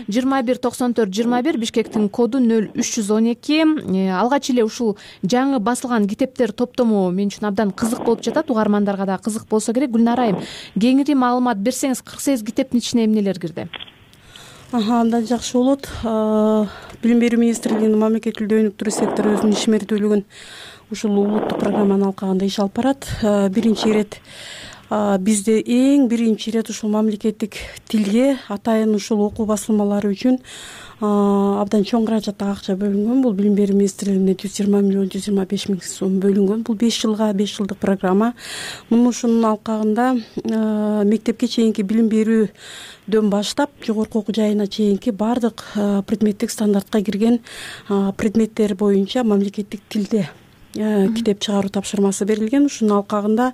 S22: жыйырма бир токсон төрт жыйырма бир, Бишкектин коду нөл үч жүз он эки. Алгач эле ушул жаңы басылган китептер топтому мен үчүн абдан кызык болуп жатат, угармандарга да кызык болсо керек. Гүлнара айым, кеңири маалымат берсеңиз, кырк сегиз китептин ичине эмнелер кирди?
S2: Абдан жакшы болот. Билим берүү министрлигинин мамлекеттик тилди өнүктүрүү сектору өзүнүн ишмердүүлүгүн ушул улуттук программаны алкаганда иш алып барат. Биринчи ирет бизде эң биринчи ирет ушул мамлекеттик тилге атайын ушул окуу басылмалары үчүн абдан чоң каражаттагы акча бөлүнгөн. Бул Билим берүү министрлигине жүз жыйырма миллион жүз жыйырма беш миң сом бөлүнгөн. Бул беш жылга беш жылдык программа. Муну ушунун алкагында мектепке чейинки билим берүүдөн баштап жогорку окуу жайына чейинки баардык предметтик стандартка кирген предметтер боюнча мамлекеттик тилде китеп чыгаруу тапшырмасы берилген. Ушунун алкагында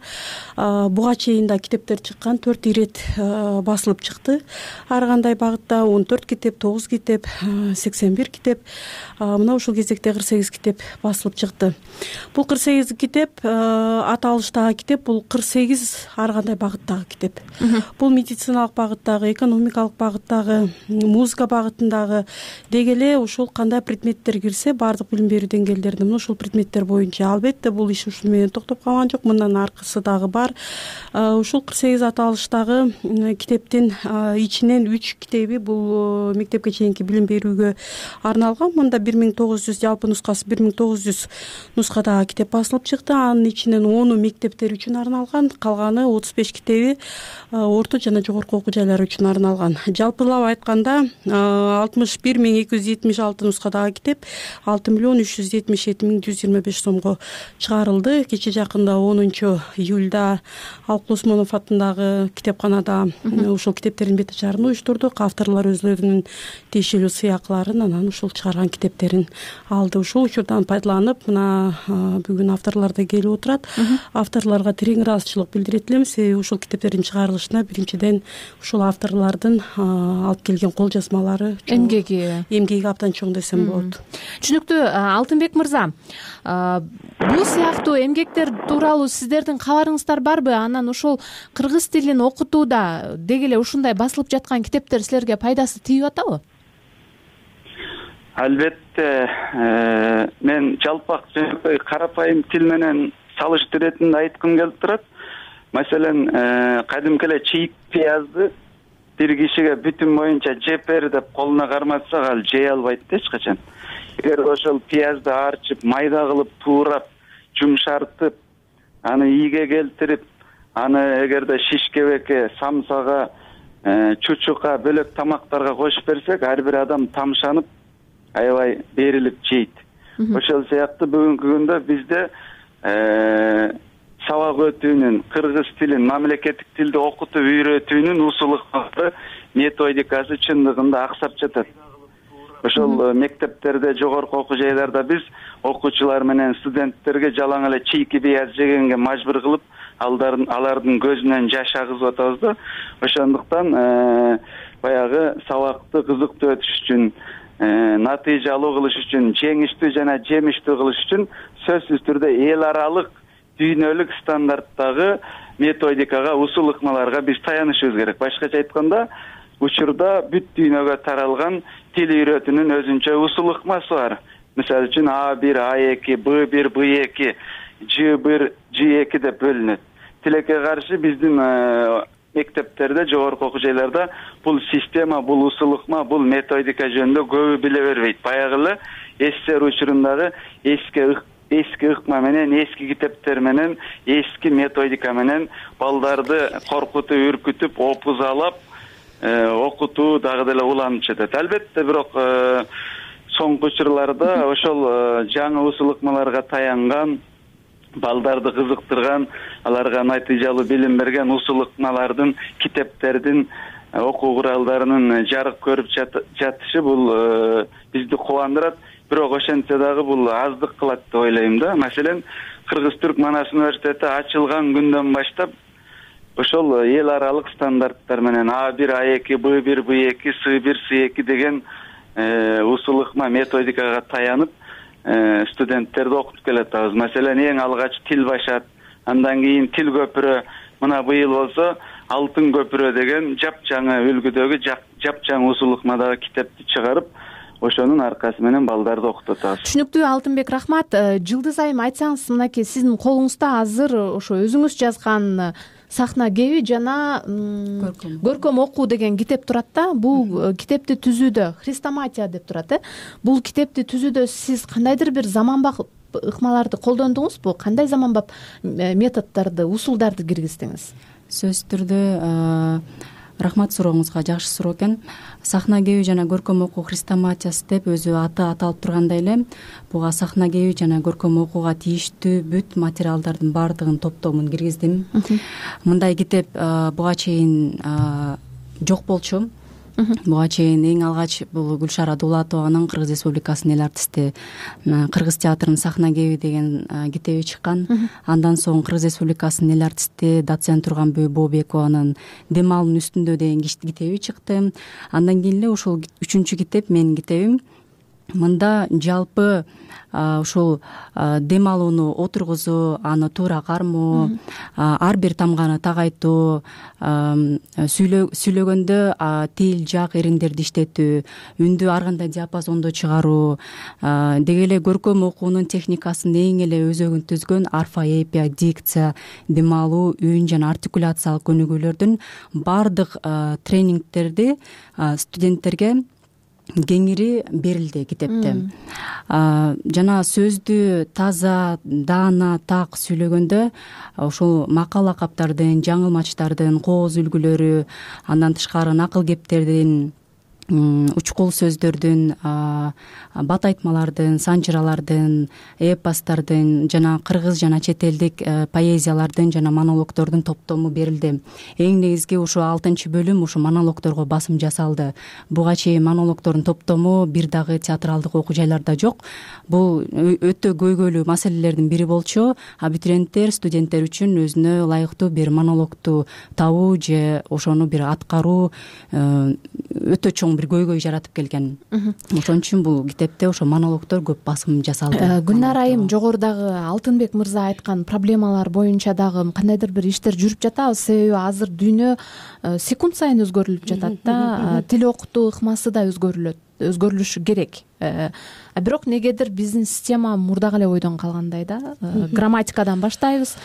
S2: буга чейин да китептер чыккан, төрт ирет басылып чыкты. Ар кандай багытта он төрт китеп, тогуз китеп, сексен бир китеп, мына ушул кезекте кырк сегиз китеп басылып чыкты. Бул кырк сегиз китеп аталыштагы китеп, бул кырк сегиз ар кандай багыттагы китеп. Бул медициналык багыттагы, экономикалык багыттагы, музыка багытындагы деги эле ушул кандай предметтер кирсе, баардык билим берүү деңгээлдеринде мына ушул предметтер боюнча. Албетте бул иш ушул менен токтоп калган жок. Мындан аркысы дагы бар. Ушул кырк сегиз аталыштагы китептин ичинен үч китеби бул мектепке чейинки билим берүүгө арналган. Мында бир миң тогуз жүз жалпы нускасы бир миң тогуз жүз нускадагы китеп басылып чыкты. Анын ичинен ону мектептер үчүн арналган, калганы отуз беш китеби орто жана жогорку окуу жайлар үчүн арналган. Жалпылап айтканда алтымыш бир миң эки жүз жетимиш алты нускадагы китеп алты миллион үч жүз жетимиш жети миң жүз жыйырма беш сомго чыгарылды. Кече жакында онунчу июлда Алык Осмонов атындагы китепканада ушул китептердин бет ачарын уюштурдук. Авторлор өзлөрүнүн тиешелүү сыйакыларын анан ушул чыгарган китептерин алды. Ушул учурдан пайдаланып, мына бүгүн авторлор да келип отурат. Авторлорго терең ыраазычылык билдире элем. Себеби ушул китептердин чыгарылышына биринчиден ушул авторлордун алып келген кол жазмалары,
S22: эмгеги
S2: эмгеги абдан чоң десем болот.
S22: Түшүнүктүү. Алтынбек мырза, бул сыяктуу эмгектер тууралуу сиздердин кабарыңыздар барбы? Анан ушул кыргыз тилин окутууда деги эле ушундай басылып жаткан китептер силерге пайдасы тийип атабы?
S7: Албетте, мен жалпак жөнөкөй карапайым тил менен салыштыруу иретинде айткым келип турат. Маселен, кадимки эле чийик пиязды бир кишиге бүтүн боюнча жеп бер деп колуна карматсак, ал жей албайт да эч качан. Эгер ошол пиязды арчып, майда кылып, туурап, жумшартып, аны ийге келтирип, аны эгерде шишкебекке, самсага, чучукка, бөлөк тамактарга кошуп берсек, ар бир адам тамшанып, аябай берилип жейт. Ошол сыяктуу бүгүнкү күндө бизде сабак өтүүнүн, кыргыз тилин, мамлекеттик тилди окутуп үйрөтүүнүн усулдары, методикасы чындыгында аксап жатат. Ошол мектептерде, жогорку окуу жайларда биз окуучулар менен студенттерге жалаң эле чийки пияз жегенге мажбур кылып, алардын алардын көзүнөн жаш агызып атабыз да. Ошондуктан баягы сабакты кызыктуу өтүш үчүн, натыйжа алуу кылыш үчүн, жеңиштүү жана жемиштүү кылыш үчүн сөзсүз түрдө эл аралык дүйнөлүк стандарттагы методикага, усул ыкмаларга биз таянышыбыз керек. Башкача айтканда, учурда бүт дүйнөгө таралган тил үйрөтүүнүн өзүнчө усул ыкмасы бар. Мисалы үчүн А бир, А эки, Б бир, Б эки, Ж бир, Ж эки деп бөлүнөт. Тилекке каршы биздин мектептерде, жогорку окуу жайларда бул система, бул усул ыкма, бул методика жөнүндө көбү биле бербейт. Баягы эле СССР учурундагы эски эски ыкма менен, эски китептер менен, эски методика менен балдарды коркутуп, үркүтүп, опузалап окутуу дагы деле уланып жатат. Албетте, бирок соңку учурларда ошол жаңы усул ыкмаларга таянган, балдарды кызыктырган, аларга натыйжалуу билим берген усул ыкмалардын, китептердин окуу куралдарынын жарык көрүп жатышы бул бизди кубандырат. Бирок ошентсе дагы бул аздык кылат деп ойлойм да. Маселен, Кыргыз-Түрк Манас университети ачылган күндөн баштап ошол эл аралык стандарттар менен А бир, А эки, Б бир, Б эки, С бир, С эки деген усул ыкма методикага таянып студенттерди окутуп келатабыз. Маселен, эң алгач тил башат, андан кийин тил көпүрө, мына быйыл болсо Алтын көпүрө деген жапжаңы үлгүдөгү жапжаң усул ыкмадагы китепти чыгарып, ошонун аркасы менен балдарды окутуп атабыз.
S22: Түшүнүктүү, Алтынбек, рахмат. Жылдыз айым, айтсаңыз, мынакей сиздин колуңузда азыр ошо өзүңүз жазган Сахна кеби жана көркөм окуу деген китеп турат да. Бул китепти түзүүдө хрестоматия деп турат, э? Бул китепти түзүүдө сиз кандайдыр бир заманбап ыкмаларды колдондуңузбу? Кандай заманбап методдорду, усулдарды киргиздиңиз?
S9: Сөзсүз түрдө рахмат, сурооңузга жакшы суроо экен. Сахна кеби жана көркөм окуу хрестоматиясы деп өзү аты аталып тургандай эле, буга сахна кеби жана көркөм окууга тийиштүү бүт материалдардын баардыгын топтомун киргиздим. Мындай китеп буга чейин жок болчу. Буга чейин эң алгач бул Гүлшара Дулатованын Кыргыз Республикасынын эл артисти Кыргыз театрынын Сахна кеби деген китеби чыккан. Андан соң Кыргыз Республикасынын эл артисти доцент Турганбүй Бообекованын Дем алуунун үстүндө деген китеби чыкты. Андан кийин эле ушул үчүнчү китеп менин китебим. Мында жалпы ушул дем алууну отургузуу, аны туура кармоо, ар бир тамганы тагайтуу, сүйлөгөндө тил, жак, эриндерди иштетүү, үндү ар кандай диапазондо чыгаруу, деги эле көркөм окуунун техникасын эң эле өзөгүн түзгөн орфоэпия, дикция, дем алуу, үн жана артикуляциялык өнүгүүлөрдүн баардык тренингтерди студенттерге кеңири берилди китепте. Жана сөздү таза, даана, так сүйлөгөндө ушул макал лакаптардын, жаңылмачтардын, кооз үлгүлөрү, андан тышкары накыл кептердин, учкул сөздөрдүн, бат айтмалардын, санжыралардын, эпостордун жана кыргыз жана чет элдик поэзиялардын жана монологдордун топтому берилди. Эң негизги ушу алтынчы бөлүм ушу монологдорго басым жасалды. Буга чейин монологдордун топтому бир дагы театралдык окуу жайларда жок. Бул өтө көйгөйлүү маселелердин бири болчу. Абитуриенттер, студенттер үчүн өзүнө ылайыктуу бир монологду табуу же ошону бир аткаруу өтө чоң бир көйгөй жаратып келген. Ошон үчүн бул китепте ошо монологдор көп басым жасалды.
S22: Гүлнара айым, жогорудагы Алтынбек мырза айткан проблемалар боюнча дагы кандайдыр бир иштер жүрүп жатабы? Себеби азыр дүйнө секунд сайын өзгөрүлүп жатат да. Тил окутуу ыкмасы да өзгөрүлөт, өзгөрүлүшү керек. А бирок негедир биздин система мурдагы эле ойдон калгандай да. Грамматикадан баштайбыз.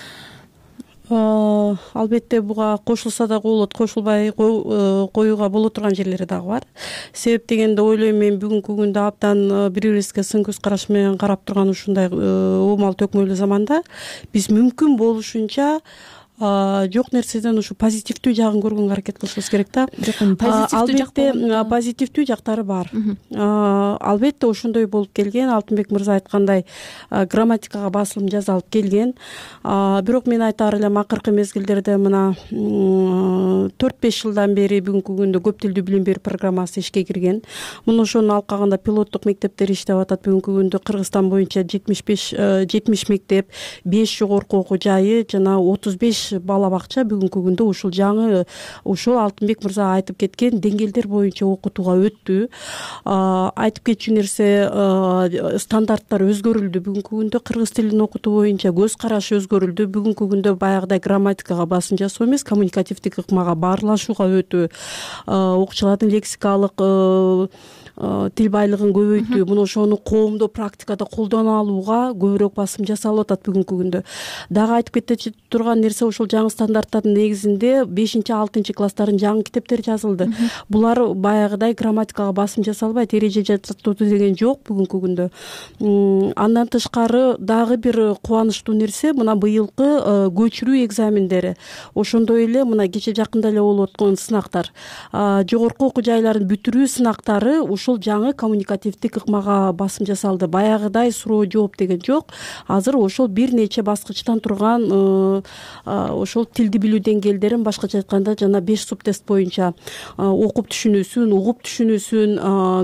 S2: Албетте буга кошулса дагы болот, кошулбай коюуга боло турган жерлери дагы бар. Себеп дегенде ойлойм, мен бүгүнкү күндө абдан бири бирибизге сын көз караш менен карап турган ушундай оомал төкмөлүү заманда биз мүмкүн болушунча жок нерседен ушу позитивдүү жагын көргөнгө аракет кылышыбыз керек да. Албетте позитивдүү жактары бар. Албетте ошондой болуп келген. Алтынбек мырза айткандай грамматикага басылым жасалып келген. Бирок мен айтаар элем, акыркы мезгилдерде мына төрт беш жылдан бери бүгүнкү күндө көп тилдүү билим берүү программасы ишке кирген. Муну ошонун алкагында пилоттук мектептер иштеп атат. Бүгүнкү күндө Кыргызстан боюнча жетимиш беш жетимиш мектеп, беш жогорку окуу жайы жана отуз беш бала бакча бүгүнкү күндө ушул жаңы ушул Алтынбек мырза айтып кеткен деңгээлдер боюнча окутууга өттү. Айтып кетчү нерсе, стандарттар өзгөрүлдү. Бүгүнкү күндө кыргыз тилин окутуу боюнча көз караш өзгөрүлдү. Бүгүнкү күндө баягыдай грамматикага басым жасоо эмес, коммуникативдик ыкмага баарлашууга өтүү, окуучулардын лексикалык тил байлыгын көбөйтүү, муну ошону коомдо практикада колдоно алууга көбүрөөк басым жасалып атат бүгүнкү күндө. Дагы айтып кете турган нерсе, ушул жаңы стандарттардын негизинде бешинчи алтынчы класстардын жаңы китептери жазылды. Булар баягыдай грамматикага басым жасалбайт, эреже жасатуу деген жок бүгүнкү күндө. Андан тышкары дагы бир кубанычтуу нерсе, мына быйылкы көчүрүү экзамендери, ошондой эле мына кече жакында эле болуп аткан сынактар, жогорку окуу жайларын бүтүрүү сынактары ушул ошол жаңы коммуникативдик ыкмага басым жасалды. Баягыдай суроо жооп деген жок. Азыр ошол бир нече баскычтан турган ошол тилди билүү деңгээлдерин, башкача айтканда жана беш субтест боюнча окуп түшүнүүсүн, угуп түшүнүүсүн,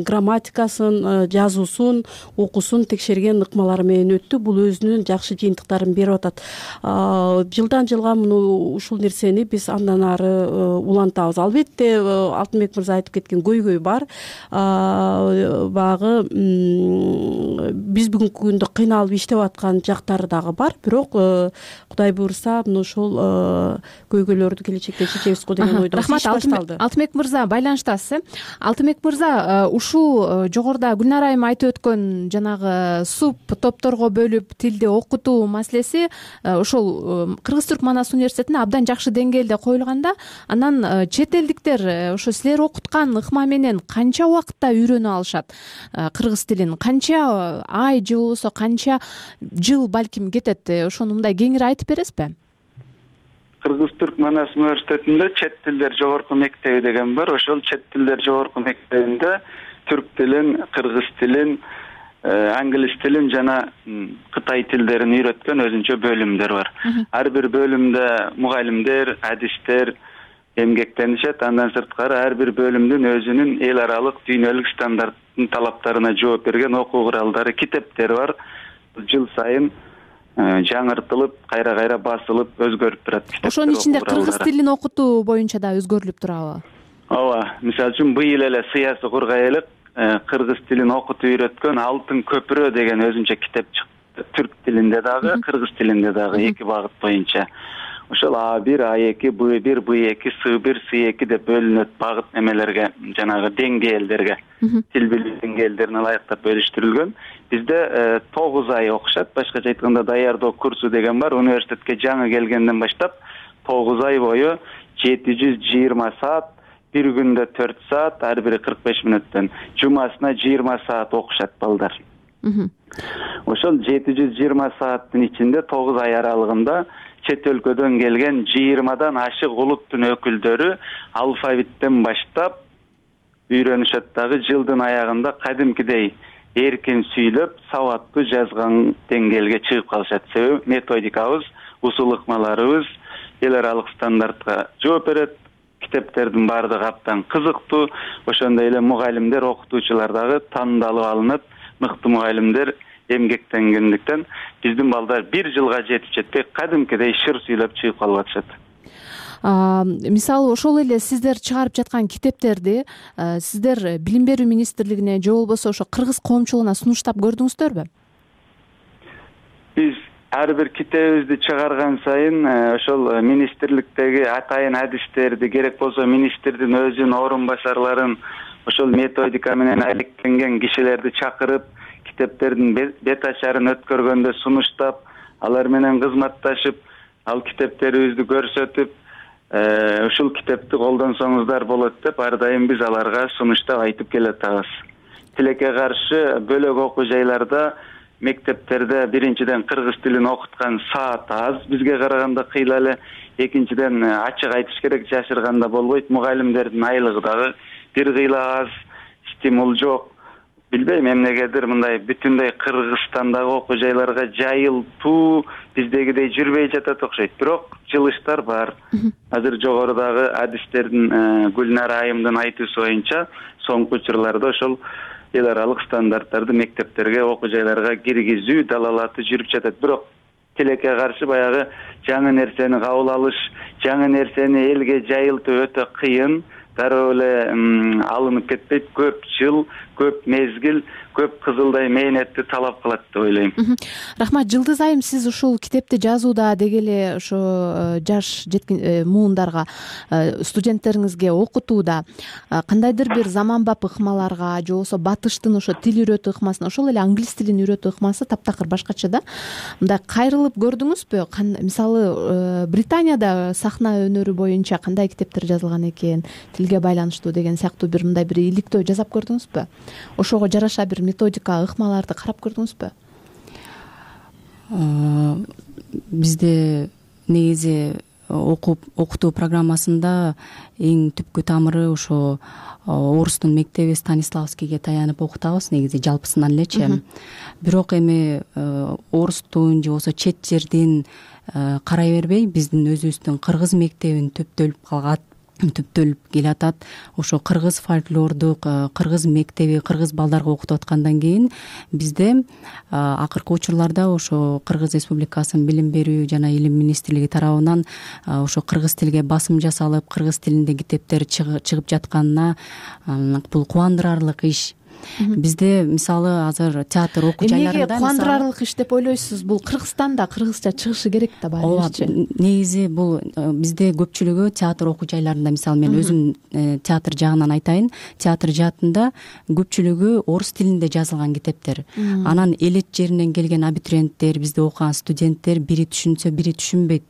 S2: грамматикасын, жазуусун, окуусун текшерген ыкмалар менен өттү. Бул өзүнүн жакшы жыйынтыктарын берип атат. Жылдан жылга муну ушул нерсени биз андан ары улантабыз. Албетте Алтынбек мырза айтып кеткен көйгөй бар. Баягы биз бүгүнкү күндө кыйналып иштеп аткан жактары дагы бар. Бирок Кудай буйрса мына ошол көйгөйлөрдү келечекте чечебиз го деген ойдо
S22: рахмат. Алтынбек мырза байланыштасыз. Алтынбек мырза, ушул жогоруда Гүлнара айым айтып өткөн жанагы суп топторго бөлүп тилди окутуу маселеси ошол Кыргыз-Түрк Манас университетинде абдан жакшы деңгээлде коюлганда, анан чет элдиктер ошо силер окуткан ыкма менен канча убакытта үйрөнө алышат кыргыз тилин? Канча ай же болбосо канча жыл балким кетет? Ошону мындай кеңири айтып бересизби?
S7: Кыргыз-Түрк Манас университетинде чет тилдер жогорку мектеби деген бар. Ошол чет тилдер жогорку мектебинде түрк тилин, кыргыз тилин, англис тилин жана кытай тилдерин үйрөткөн өзүнчө бөлүмдөр бар. Ар бир бөлүмдө мугалимдер, адистер эмгектенишет. Андан сырткары ар бир бөлүмдүн өзүнүн эл аралык дүйнөлүк стандарттын талаптарына жооп берген окуу куралдары, китептери бар. Жыл сайын жаңыртылып, кайра-кайра басылып, өзгөрүп турат.
S22: Ошонун ичинде кыргыз тилин окутуу боюнча да өзгөрүлүп турабы?
S7: Ооба. Мисалы үчүн быйыл эле Сыясы Кургайлык кыргыз тилин окутуп үйрөткөн Алтын көпүрө деген өзүнчө китеп чыкты. Түрк тилинде дагы, кыргыз тилинде дагы эки багыт боюнча. Ошол А бир, А эки, Б бир, Б эки, С бир, С эки деп бөлүнөт багыт эмелерге, жанагы деңгээлдерге. Тил билүү деңгээлдерине ылайыктап бөлүштүрүлгөн. Бизде тогуз ай окушат. Башкача айтканда даярдоо курсу деген бар. Университетке жаңы келгенден баштап тогуз ай бою жети жүз жыйырма саат, бир күндө төрт саат, ар бири кырк беш мүнөттөн, жумасына жыйырма саат окушат балдар. Ошол жети жүз жыйырма сааттын ичинде тогуз ай аралыгында чет өлкөдөн келген жыйырмадан ашык улуттун өкүлдөрү алфавиттен баштап үйрөнүшөт дагы. Жылдын аягында кадимкидей эркин сүйлөп, сабаттуу жазган деңгээлге чыгып калышат. Себеби методикабыз, усул ыкмаларыбыз эл аралык стандартка жооп берет. Китептердин баардыгы абдан кызыктуу. Ошондой эле мугалимдер, окутуучулар дагы тандалып алынып, мыкты мугалимдер эмгектенгендиктен биздин балдар бир жылга жетип жетпей кадимкидей шыр сүйлөп чыгып калып атышат.
S22: Мисалы ошол эле сиздер чыгарып жаткан китептерди сиздер Билим берүү министрлигине же болбосо ошо кыргыз коомчулугуна сунуштап көрдүңүздөрбү?
S7: Биз ар бир китебибизди чыгарган сайын ошол министрликтеги атайын адистерди, керек болсо министрдин өзүнүн орун басарларын, ошол методика менен алектенген кишилерди чакырып, китептердин бет ачарын өткөргөндө сунуштап, алар менен кызматташып, ал китептерибизди көрсөтүп, ушул китепти колдонсоңуздар болот деп ар дайым биз аларга сунуштап айтып келатабыз. Тилекке каршы бөлөк окуу жайларда, мектептерде биринчиден кыргыз тилин окуткан саат аз, бизге караганда кыйла эле. Экинчиден ачык айтыш керек, жашырганда болбойт. Мугалимдердин айлыгы дагы бир кыйла аз, стимул жок. Билбейм, эмнегедир мындай бүтүндөй Кыргызстандагы окуу жайларга жайылтуу биздегидей жүрбөй жатат окшойт. Бирок жылыштар бар. Азыр жогорудагы адистердин Гүлнара айымдын айтуусу боюнча соңку учурларда ошол эл аралык стандарттарды мектептерге, окуу жайларга киргизүү далалаты жүрүп жатат. Бирок тилекке каршы баягы жаңы нерсени кабыл алыш, жаңы нерсени элге жайылтуу өтө кыйын. Дароо эле алынып кетпейт. Көп жыл, көп мезгил, көп кызылдай мээнетти талап кылат деп ойлойм.
S22: Рахмат. Жылдыз айым, сиз ушул китепти жазууда деги эле ошо жаш жеткин муундарга, студенттериңизге окутууда кандайдыр бир заманбап ыкмаларга же болбосо батыштын ошо тил үйрөтүү ыкмасын, ошол эле англис тилин үйрөтүү ыкмасы таптакыр башкача да. Мындай кайрылып көрдүңүзбү? Мисалы Британияда сахна өнөрү боюнча кандай китептер жазылган экен, тилге байланыштуу деген сыяктуу бир мындай бир иликтөө жасап көрдүңүзбү? Ошого жараша бир методика, ыкмаларды карап көрдүңүзбү?
S9: Бизде негизи окутуу программасында эң түпкү тамыры ошо орустун мектеби Станиславскийге таянып окутабыз негизи жалпысынан элечи. Бирок эми орустун же болбосо чет жердин карай бербей биздин өзүбүздүн кыргыз мектебин төптөлүп калган түптөлүп келатат. Ошо кыргыз фольклордук кыргыз мектеби кыргыз балдарга окутуп аткандан кийин бизде акыркы учурларда ошо Кыргыз Республикасынын билим берүү жана илим министрлиги тарабынан ошо кыргыз тилге басым жасалып кыргыз тилинде китептер чыгып жатканына бул кубандырарлык иш. Бизде мисалы азыр театр окуу жайларында
S22: эмнеге кубандырарлык иш деп ойлойсуз? Бул Кыргызстанда кыргызча чыгышы керек да баары.
S9: Негизи бул бизде көпчүлүгү театр окуу жайларында, мисалы мен өзүм театр жагынан айтайын, театр жаатында көпчүлүгү орус тилинде жазылган китептер. Анан элет жеринен келген абитуриенттер, бизде окуган студенттер бири түшүнсө бири түшүнбөйт.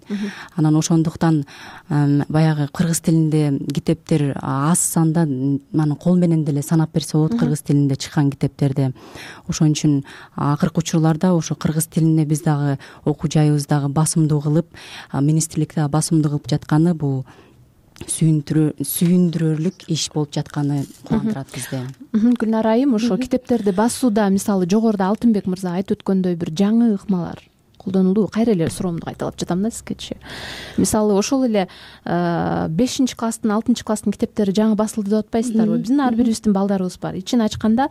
S9: Анан ошондуктан баягы кыргыз тилинде китептер аз санда, анан кол менен деле санап берсе болот кыргыз тилинде чыккан китептерде. Ошон үчүн акыркы учурларда ошо кыргыз тилине биз дагы окуу жайыбыз дагы басымдуу кылып, министрлик дагы басымдуу кылып жатканы бул сүйүндүрөрлүк иш болуп жатканы кубандырат бизде.
S22: Гүлнара айым, ошо китептерди басууда мисалы жогоруда Алтынбек мырза айтып өткөндөй бир жаңы ыкмалар колдонулду. Кайра эле суроомду кайталап жатам да сизгечи. Мисалы ошол эле бешинчи класстын алтынчы класстын китептери жаңы басылды деп атпайсыздарбы? Биздин ар бирибиздин балдарыбыз бар. Ичин ачканда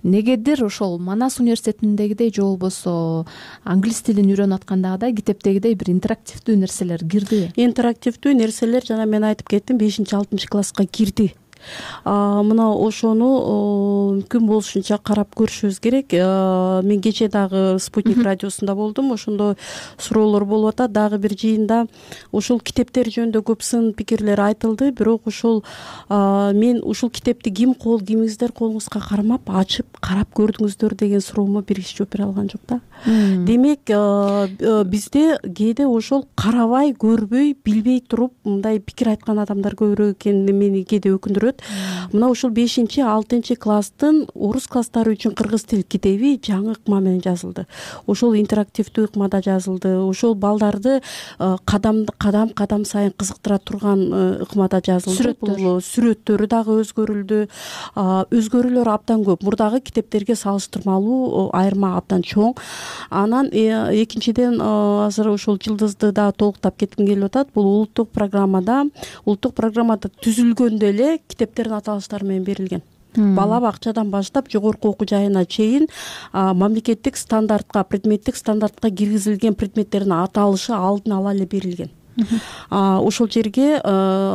S22: негедир ошол Манас университетиндегидей же болбосо англис тилин үйрөнүп аткандагыдай китептегидей бир интерактивдүү нерселер кирдиби?
S2: Интерактивдүү нерселер жана мен айтып кеттим, бешинчи алтымынчы класска кирди. Мына ошону мүмкүн болушунча карап көрүшүбүз керек. Мен кече дагы Спутник радиосунда болдум. Ошондо суроолор болуп атат. Дагы бир жыйында ушул китептер жөнүндө көп сын пикирлер айтылды. Бирок ошол мен ушул китепти ким кол кимиңиздер колуңузга кармап ачып карап көрдүңүздөр деген суроомо биринчи жооп бере алган жок да. Демек бизде кээде ошол карабай, көрбөй, билбей туруп мындай пикир айткан адамдар көбүрөөк экени мени кээде өкүндүрөт. Мына ушул бешинчи алтынчы класстын орус класстары үчүн кыргыз тил китеби жаңы ыкма менен жазылды. Ошол интерактивдүү ыкмада жазылды. Ошол балдарды кадам кадам кадам сайын кызыктыра турган ыкмада жазылды. Бул сүрөттөрү дагы өзгөрүлдү. Өзгөрүүлөр абдан көп. Мурдагы китептерге салыштырмалуу айырма абдан чоң. Анан экинчиден азыр ошол жылдызды да толуктап кетким келип атат. Бул улуттук программада, улуттук программада түзүлгөндө эле китептердин аталыштары менен берилген. Бала бакчадан баштап жогорку окуу жайына чейин мамлекеттик стандартка, предметтик стандартка киргизилген предметтердин аталышы алдын ала эле берилген. Ошол жерге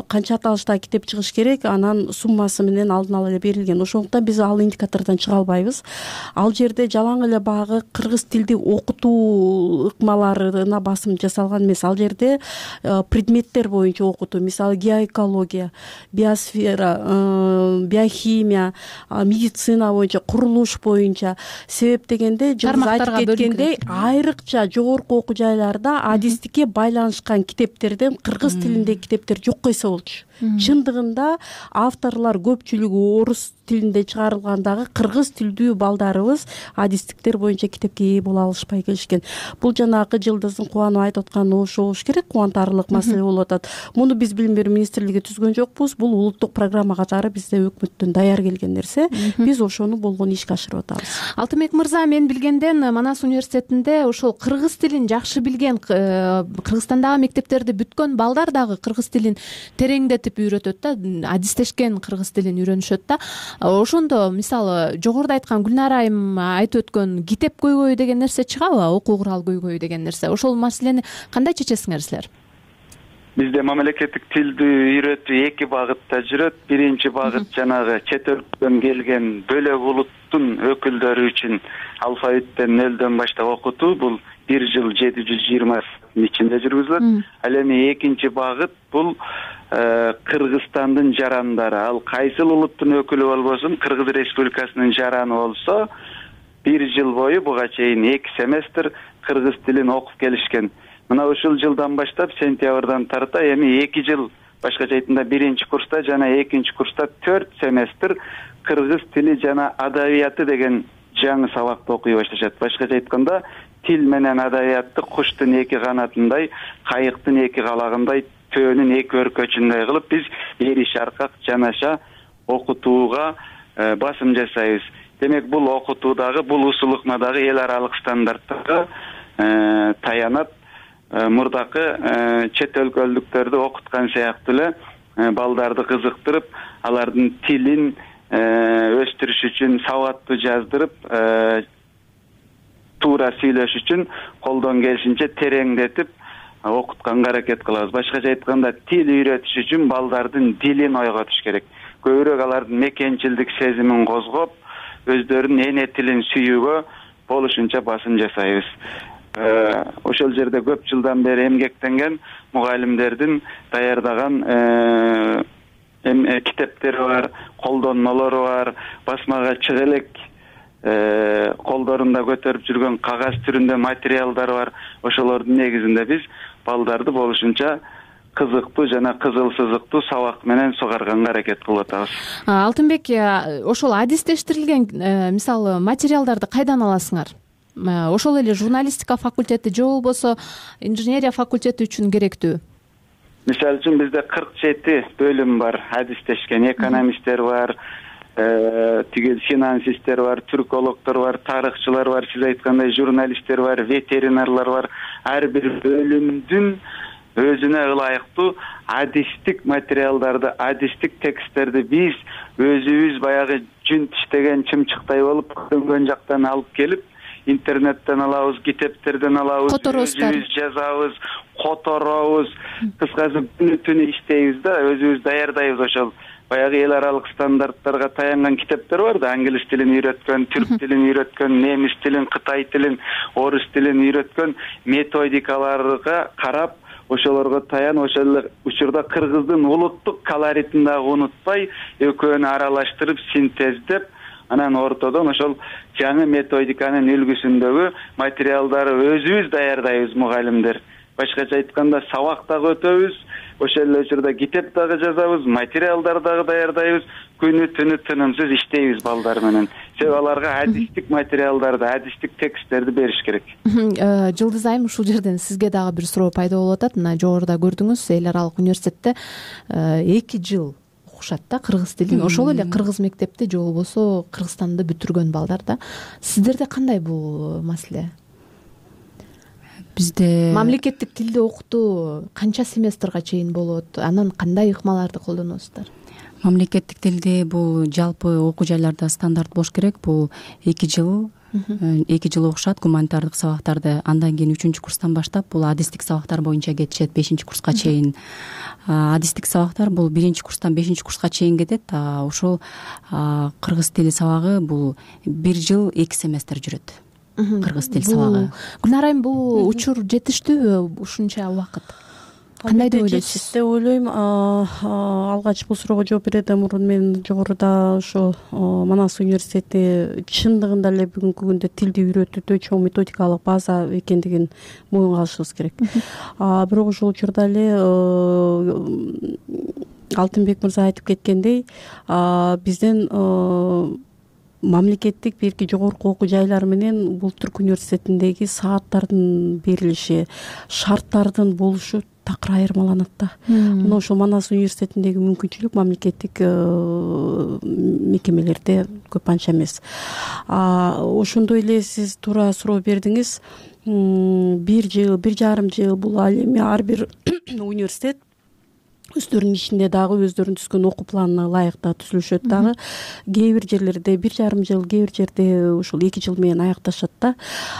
S2: канча аталыштагы китеп чыгыш керек, анан суммасы менен алдын ала эле берилген. Ошондуктан биз ал индикатордон чыга албайбыз. Ал жерде жалаң эле баягы кыргыз тилди окутуу ыкмаларына басым жасалган эмес. Ал жерде предметтер боюнча окутуу, мисалы геоэкология, биосфера, биохимия, медицина боюнча, курулуш боюнча. Себеп дегенде жылдыз айтып кеткендей, айрыкча жогорку окуу жайларда адистикке байланышкан китеп кыргыз тилиндеги китептер жок койсо болчу. Чындыгында авторлор көпчүлүгү орус тилинде чыгарылгандагы кыргыз тилдүү балдарыбыз адистиктер боюнча китепке ээ боло алышпай келишкен. Бул жанагы жылдыздын кубанып айтып атканы ошо болуш керек, кубантарлык маселе болуп атат. Муну биз билим берүү министрлиги түзгөн жокпуз. Бул улуттук программа катары бизде өкмөттөн даяр келген нерсе. Биз ошону болгону ишке ашырып атабыз.
S22: Алтынбек мырза, мен билгенден Манас университетинде ошол кыргыз тилин жакшы билген, Кыргызстандагы мектептерди бүткөн балдар дагы кыргыз тилин тереңдетип үйрөтөт да, адистешкен кыргыз тилин үйрөнүшөт да. Ошондо мисалы жогоруда айткан Гүлнара айым айтып өткөн китеп көйгөйү деген нерсе чыгабы? Окуу курал көйгөйү деген нерсе. Ошол маселени кандай чечесиңер силер?
S7: Бизде мамлекеттик тилди үйрөтүү эки багытта жүрөт. Биринчи багыт жанагы чет өлкөдөн келген бөлөк улуттун өкүлдөрү үчүн алфавиттен нөлдөн баштап окутуу. Бул бир жыл жети жүз жыйырма ичинде жүргүзүлөт. Ал эми экинчи багыт бул Кыргызстандын жарандары. Ал кайсыл улуттун өкүлү болбосун, Кыргыз Республикасынын жараны болсо, бир жыл бою буга чейин эки семестр кыргыз тилин окуп келишкен. Мына ушул жылдан баштап, сентябрдан тарта эми эки жыл, башкача айтканда биринчи курста жана экинчи курста төрт семестр кыргыз тили жана адабияты деген жаңы сабакты окуй башташат. Башкача айтканда, тил менен адабиятты куштун эки канатындай, кайыктын эки калагындай төөнүн эки өркөчүндөй кылып биз эри шаркак жанаша окутууга басым жасайбыз. Демек бул окутуудагы, бул усул ыкмадагы эл аралык стандарттарга таянат мурдакы чет өлкөлүктөрдү окуткан сыяктуу эле балдарды кызыктырып, алардын тилин өстүрүш үчүн сабаттуу жаздырып, туура сүйлөш үчүн колдон келишинче тереңдетип окутканга аракет кылабыз. Башкача айтканда, тил үйрөтүш үчүн балдардын дилин ойготуш керек. Көбүрөөк алардын мекенчилдик сезимин козгоп, өздөрүнүн эне тилин сүйүүгө болушунча басым жасайбыз. Ошол жерде көп жылдан бери эмгектенген мугалимдердин даярдаган китептери бар, колдонмолору бар, басмага чыга элек колдорунда көтөрүп жүргөн кагаз түрүндө материалдар бар. Ошолордун негизинде биз балдарды болушунча кызыктуу жана кызыл сызыктуу сабак менен сугарганга аракет кылып атабыз.
S22: Алтынбек, ошол адистештирилген мисалы материалдарды кайдан аласыңар? Ошол эле журналистика факультети же болбосо инженерия факультети үчүн керектүү?
S7: Мисалы үчүн бизде кырк жети бөлүм бар. Адистешкен экономисттер бар, тигил финансисттер бар, түркологдор бар, тарыхчылар бар, сиз айткандай журналисттер бар, ветеринарлар бар. Ар бир бөлүмдүн өзүнө ылайыктуу адистик материалдарды, адистик тексттерди биз өзүбүз баягы жүн тиштеген чымчыктай болуп көрүнгөн жактан алып келип, интернеттен алабыз, китептерден алабыз, өзүбүз жазабыз, которобуз. Кыскасы күнү түнү иштейбиз да, өзүбүз даярдайбыз. Ошол баягы эл аралык стандарттарга таянган китептер бар да, англис тилин үйрөткөн, түрк тилин үйрөткөн, немис тилин, кытай тилин, орус тилин үйрөткөн методикаларга карап, ошолорго таян, ошол эле учурда кыргыздын улуттук колоритин дагы унутпай, экөөнү аралаштырып, синтездеп, анан ортодон ошол жаңы методиканын үлгүсүндөгү материалдарды өзүбүз даярдайбыз мугалимдер. Башкача айтканда, сабак дагы өтөбүз, ошол эле учурда китеп дагы жазабыз, материалдар дагы даярдайбыз, күнү түнү тынымсыз иштейбиз балдар менен. Себеби аларга адистик материалдарды, адистик тексттерди бериш керек.
S22: Жылдыз айым, ушул жерден сизге дагы бир суроо пайда болуп атат. Мына жогоруда көрдүңүз, эл аралык университетте эки жыл окушат да кыргыз тилин. Ошол эле кыргыз мектепти же болбосо Кыргызстанды бүтүргөн балдар да. Сиздерде кандай бул маселе?
S9: Бизде
S22: мамлекеттик тилди окутуу канча семестрга чейин болот? Анан кандай ыкмаларды колдоносуздар?
S9: Мамлекеттик тилди бул жалпы окуу жайларда стандарт болуш керек. Бул эки жыл эки жыл окушат гуманитардык сабактарды. Андан кийин үчүнчү курстан баштап бул адистик сабактар боюнча кетишет бешинчи курска чейин. Адистик сабактар бул биринчи курстан бешинчи курска чейин кетет. Ошол кыргыз тили сабагы бул бир жыл эки семестр жүрөт. Кыргыз тил сабагы.
S22: Гүлнар айым, бул учур жетиштүүбү ушунча убакыт? Кандай деп ойлойсуз?
S2: Деп ойлойм. Алгач бул суроого жооп берүүдөн мурун мен жогоруда ошо Манас университети чындыгында эле бүгүнкү күндө тилди үйрөтүүдө чоң методикалык база экендигин моюнга алышыбыз керек. Бирок ошол учурда эле Алтынбек мырза айтып кеткендей, бизден мамлекеттик бирки жогорку окуу жайлар менен Улуттук университетиндеги сааттардын берилиши, шарттардын болушу такыр айырмаланат да. Мына ошол Манас университетиндеги мүмкүнчүлүк мамлекеттик мекемелерде көп анча эмес. Ошондой эле сиз туура суроо бердиңиз. Бир жыл, бир жарым жыл бул ал эми ар бир университет өздөрүнүн ичинде дагы өздөрүнүн түзгөн окуу планына ылайык да түзүлүшөт дагы. Кээ бир жерлерде бир жарым жыл, кээ бир жерде ушул эки жыл менен аякташат да.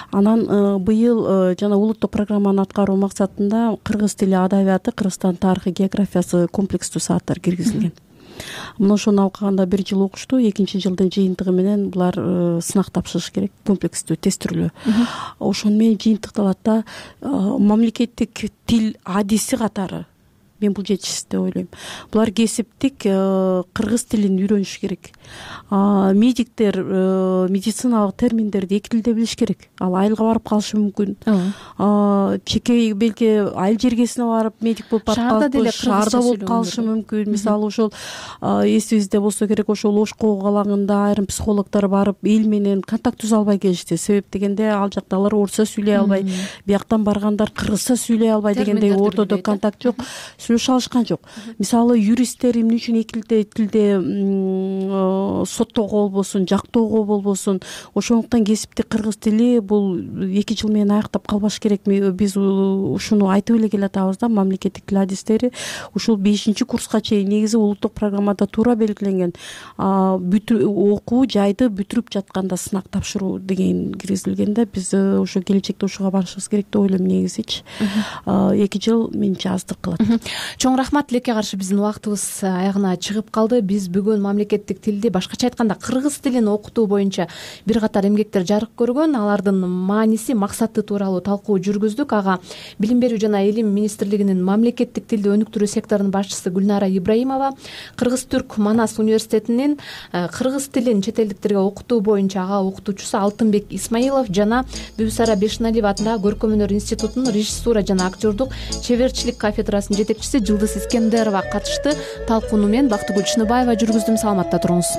S2: Анан быйыл жана улуттук программаны аткаруу максатында кыргыз тили адабияты, Кыргызстан тарыхы, географиясы комплекстүү сааттар киргизилген. Мына ошону алганда бир жыл окушту, экинчи жылдын жыйынтыгы менен булар сынак тапшырыш керек, комплекстүү тестирүүлөө. Ошону менен жыйынтыкталат да. Мамлекеттик тил адиси катары мен бул жетишсиз деп ойлойм. Булар кесиптик кыргыз тилин үйрөнүш керек. Медиктер медициналык терминдерди эки тилде билиш керек. Ал айылга барып калышы мүмкүн. Чеке белки айыл жергесине барып медик болуп барып калышы, шаарда болуп калышы мүмкүн. Мисалы ошол эсибизде болсо керек, ошол Ошко калаңында айрым психологдор барып эл менен контакт түзө албай келишти. Себеп дегенде ал жактагылар орусча сүйлөй албай, бияктан баргандар кыргызча сүйлөй албай дегендей ортодо контакт жок. сүйлөшө алышкан жок. Мисалы юристтер эмне үчүн эки тилде соттоого болбосун, жактоого болбосун, ошондуктан кесипти кыргыз тили бул эки жыл менен аяктап калбаш керек. Биз ушуну айтып эле келатабыз да, мамлекеттик тил адистери ушул бешинчи курска чейин негизи улуттук программада туура белгиленген окуу жайды бүтүрүп жатканда сынак тапшыруу деген киргизилген да. Биз ошо келечекте ушуга барышыбыз керек деп ойлойм. Негизичи эки жыл менимче аздык кылат.
S22: Чоң рахмат. Тилекке каршы биздин убактыбыз аягына чыгып калды. Биз бүгүн мамлекеттик тилди, башкача айтканда кыргыз тилин окутуу боюнча бир катар эмгектер жарык көргөн, алардын мааниси, максаты тууралуу талкуу жүргүздүк. Ага Билим берүү жана Илим министрлигинин мамлекеттик тилди өнүктүрүү секторунун башчысы Гүлнара Ибраимова, Кыргыз-Түрк Манас университетинин кыргыз тилин чет элдиктерге окутуу боюнча ага окутуучусу Алтынбек Исмаилов жана Бүбүсара Бешеналиева атындагы Көркөм өнөр институтунун режиссура жана актёрдук чеберчилик кафедрасынын жетекчиси Жылдыз Искендерова катышты. Талкууну мен Бактыгүл Чыныбаева жүргүздүм. Саламатта туруңуз.